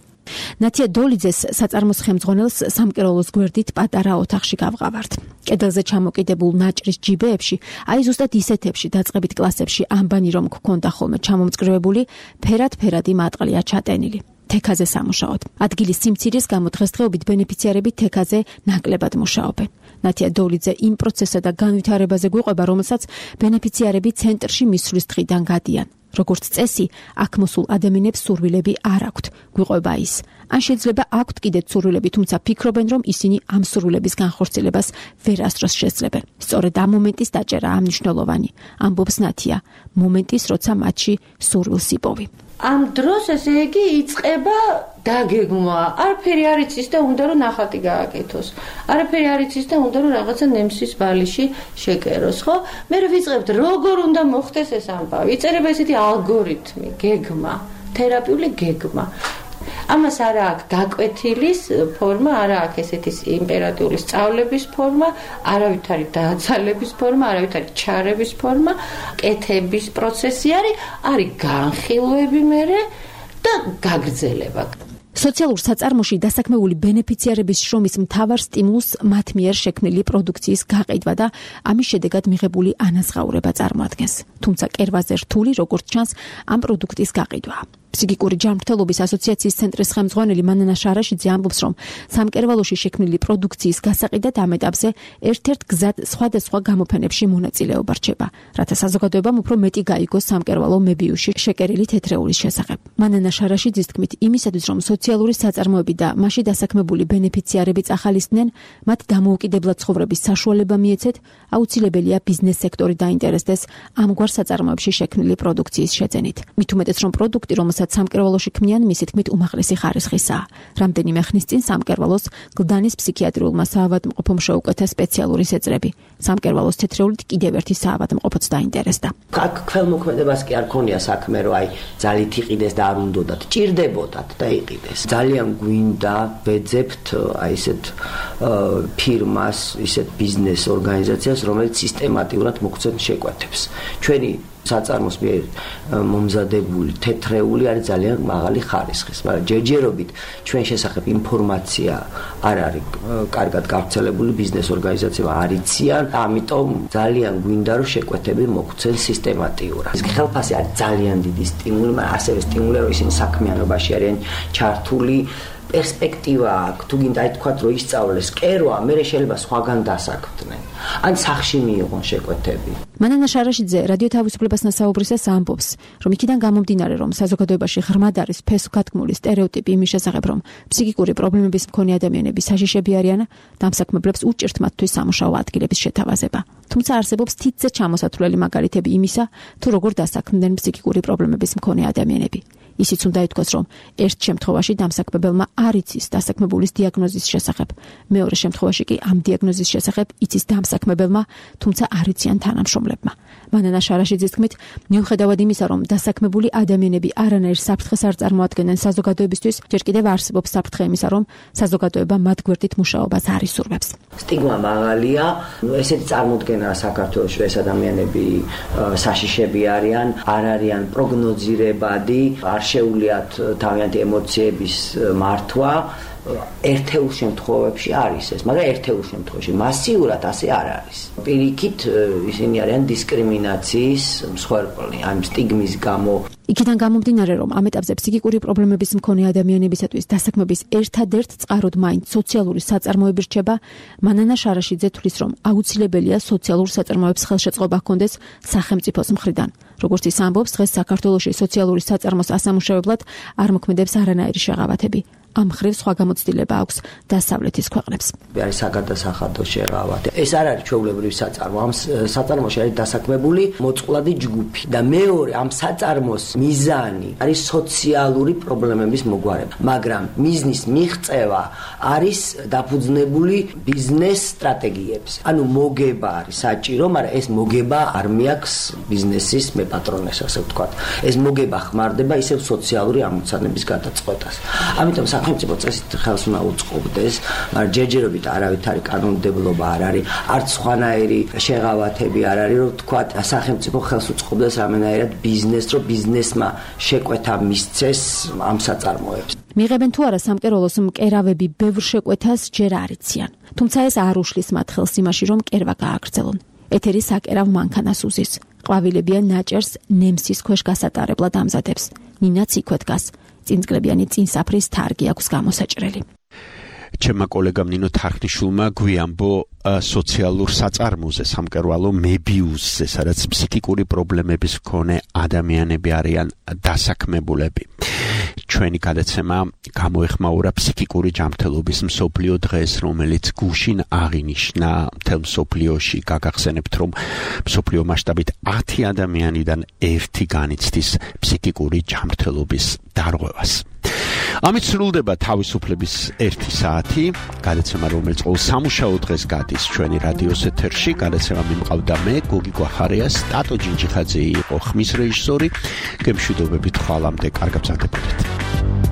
ნათია დოლიძეს საწარმოს ხელმძღვანელს სამკერვალოს გვერდით პატარა ოთახში გავყავართ. კედელზე ჩამოკიდებულ ნაჭრის ჯიბეებში, აი ზუსტად ისეთებში დაწყებით კლასებში ამბანი რომ გქონდა ხოლმე ჩამომწკრივებული, ფერად-ფერადი მატყლია ჩატენილი. თექაზე სამუშაოდ. ადგილის სიმცირის გამო დღესდღეობით ბენეფიციარები თექაზე ნაკლებად მუშაობენ. ნათია დოლიძე იმ პროცესსა და განვითარებაზე გვიყვება, რომელსაც ბენეფიციარები ცენტრში მისვლის დღიდან გადიან. როგორც წესი, აქ მოსულ ადამიანებს სურვილები არ აქვთ, გვიყვება ის. ან შეიძლება აქვთ კიდეც სურვილები, თუმცა ფიქრობენ, რომ ისინი ამ სურვილების განხორციელებას ვერასდროს შესძლებენ. სწორედ ამ მომენტის დაჭერაა მნიშვნელოვანი, ამბობს ნათია, მომენტის, როცა მათში სურვილს იპოვი. ამ დროს ესე იგი იწყება დაგეგმვა. არაფერი არ იცის და უნდა რომ ნახატი გააკეთოს. არაფერი არ იცის და უნდა რომ რაღაცა ნემსის ბალიში შეკეროს, ხო? მე ვიწყებთ როგორ უნდა მოხდეს ეს ამბავი. იწერება ესეთი ალგორითმი, გეგმა, თერაპიული გეგმა. ამას არა აქვს გაკვეთილის ფორმა, არა აქვს ესეთი იმპერატიული სწავლების ფორმა, არავითარი დაძალების ფორმა, არავითარი ჩარების ფორმა, კეთების პროცესი არის განხილვები მერე და გაგრძელება. სოციალურ საწარმოში დასაქმებული ბენეფიციარების შრომის მთავარ სტიმულს მათ მიერ შექმნილი პროდუქციის გაყიდვა და ამის შედეგად მიღებული ანაზღაურება წარმოადგენს. თუმცა კერვაზე რთული, როგორც ჩანს, ამ პროდუქტის გაყიდვა. ფსიქიკური ჯანმრთელობის ასოციაციის ცენტრის ხელმძღვანელი მანანა შარაშიძე ამბობს, რომ სამკერვალოში შექმნილი პროდუქციის გასაყიდად ამ ეტაპზე ერთ-ერთ გზად სხვადასხვა გამოფენებში მონაწილეობა რჩება, რათა საზოგადოებამ უფრო მეტი გაიგოს სამკერვალო მებიუსში შეკერილი თეთრეულის შესახებ. მანანა შარაშიძის თქმით, იმისათვის, რომ სოციალური საწარმოები და მასში დასაქმებული ბენეფიციარები წახალისდნენ, მათ დამოუკიდებლად ცხოვრების საშუალება მიეცეთ, აუცილებელია ბიზნეს სექტორი დაინტერესდეს ამგვარ საწარმოებში შექმნილი პროდუქციის შეძენით. მით უმეტეს, რომ პროდუქტი, რომელსაც სამკერვალოში ქმნიან, მისი თქმით უმაღლესი ხარისხისაა. რამდენიმე ხნის წინ სამკერვალოს გლდანის ფსიქიატრიულმა საავადმყოფომ შეუკეთა სპეციალური შეწრები. სამკერვალოს თეთრეულით კიდევ ერთი საავადმყოფოც დაინტერესდა. აქ ქველმოქმედებას კი არ ქონია საქმე, რომ ძალით იყიდეს და არ უნდათ, ჭირდებოდათ და იყიდეს. ძალიან გვინდა ვეძებთ ესეთ ფირმას, ესეთ ბიზნეს ორგანიზაციას, რომელიც სისტემატურად მოგვცემს შეკვეთებს. ჩვენი საწარმოს მიერ მომზადებული თეთრეული არის ძალიან მაღალი ხარისხის, მაგრამ ჯერჯერობით ჩვენ შესახებ ინფორმაცია არ არის კარგად გავრცელებული, ბიზნეს ორგანიზაციებმა არ იციან, ამიტომ ძალიან გვინდა რომ შეკვეთები მოგვცენ სისტემატიურად. ეს ხელფასი არის ძალიან დიდი სტიმული, მაგრამ ასევე სტიმულია რომ ისინი საქმიანობაში არიან ჩართული. პერსპექტივა აქვს, თუ გინდა ითქვათ, რომ ისწავლეს კერვა, მე შეიძლება სხვაგან დასაქმდნენ. ან სახში მიიღონ შეკვეთები. მანანა შარაშიძე რადიო თავისუფლებასთან საუბრისას ამბობს, რომ იქიდან გამომდინარე, რომ საზოგადოებაში ღრმად არის ფესვგადგმული სტერეოტიპი იმის შესახებ, რომ ფსიქიკური პრობლემების მქონე ადამიანები საშიშები არიან, დამსაქმებლებს უჭირთ მათთვის სამუშაო ადგილების შეთავაზება. თუმცა არსებობს თითზე ჩამოსათვლელი მაგალითები იმისა, თუ როგორ დასაქმდნენ ფსიქიკური პრობლემების მქონე ადამიანები. ისიც უნდა ითქვას, რომ ერთ შემთხვევაში დამსაქმებელმა არ იცის დასაქმებულის დიაგნოზის შესახებ, მეორე შემთხვევაში კი ამ დიაგნოზის შესახებ იცის დამსაქმებელმა, თუმცა არ იციან თანამშრომლებმა. მანანა შარაშიძის თქმით, მიუხედავად იმისა, რომ დასაქმებული ადამიანები არანაირ საფრთხეს არ წარმოადგენენ საზოგადოებისთვის, ჯერ კიდევ არსებობს საფრთხე იმისა, რომ საზოგადოება მათ გვერდით მუშაობას არ ისურვებს. სტიგმა მაღალია, ესეთი წარმოდგენაა საქართველოში, ეს ადამიანები საშიშები არიან, არ არიან პროგნოზირებადი, არ შეუძლიათ თავიანთი ემოციების მართვა. ერთეულ შემთხვევებში არის ეს, მაგრამ ერთეულ შემთხვევაში მასიურად ასე არ არის. პირიქით ისინი არიან დისკრიმინაციის მსხვერპლი, ამ სტიგმის გამო. იქიდან გამომდინარე, რომ ამ ეტაპზე ფსიქიკური პრობლემების მქონე ადამიანებისათვის დასაქმების ერთადერთ წყაროდ მაინც სოციალური საწარმოები რჩება, მანანა შარაშიძე თვლის, რომ აუცილებელია სოციალურ საწარმოებს ხელშეწყობა ჰქონდეს სახელმწიფოს მხრიდან. როგორც ის ამბობს, დღეს საქართველოში სოციალური საწარმოს ასამუშავებლად არ მოქმედებს არანაირი შეღავათები. ამ მხრივ სხვა გამოცდილება აქვს დასავლეთის ქვეყნებს. არის საგადასახადო შეღავათი. ეს არ არის ჩვეულებრივი საწარმო. ამ საწარმოში არის დასაქმებული მოწყვლადი ჯგუფი და მეორე ამ საწარმოს მიზანი არის სოციალური პრობლემების მოგვარება, მაგრამ მიზნის მიღწევა არის დაფუძნებული ბიზნეს სტრატეგიებზე. ანუ მოგება არის საჭირო, მაგრამ ეს მოგება არ მიაქვს ბიზნესის მეპატრონეს, ასე ვთქვათ. ეს მოგება ხმარდება ისევ სოციალური ამოცანების გადაწყვეტას. ამიტომ სახელმწიფო წესით ხელს უნდა უწყობდეს, მაგრამ ჯერჯერობით არავითარი კანონმდებლობა არ არის, არც სხვანაირი შეღავათები არ არის, რომ თქვა სახელმწიფო ხელს უწყობდეს რამენაირად ბიზნესს, რომ ბიზნესმა შეკვეთა მისცეს ამ საწარმოებს. მიღებენ თუ არა სამკერვალოს მკერავები ბევრ შეკვეთას ჯერ არ იციან. თუმცა ეს არ უშლის მათ ხელს იმაში, რომ კერვა გააგრძელონ. ეთერი საკერავ მანქანას უზის. ყვავილებიან ნაჭერს ნემსის ქვეშ გასატარებლად ამზადებს. ნინაც იქვე დგას. წინწკლებიანი წინსაფრის თარგი აქვს გამოსაჭრელი. ჩემმა კოლეგამ ნინო თარხნიშვილმა გვიამბო სოციალურ საწარმოზე, სამკერვალო მებიუსზე, სადაც ფსიქიკური პრობლემების მქონე ადამიანები არიან დასაქმებულები. ჩვენი გადაცემა გამოეხმაურა ფსიქიკური ჯანმრთელობის მსოფლიო დღეს, რომელიც გუშინ აღინიშნა მთელ მსოფლიოში. გაგახსენებთ, რომ მსოფლიო მასშტაბით 10 ადამიანიდან 1 განიცდის ფსიქიკური ჯანმრთელობის დარღვევას. ამით სრულდება თავისუფლების 1 საათი, გადაცემა, რომელიც ყოველ სამუშაო დღეს გადის ჩვენი რადიოს ეთერში. გადაცემა მიმყავდა მე, გოგი გვახარია, სტატო ჯინჯიხაძე იყო ხმის რეჟისორი. გემშვიდობებით ხვალამდე, კარგ გრძელდებოდეთ.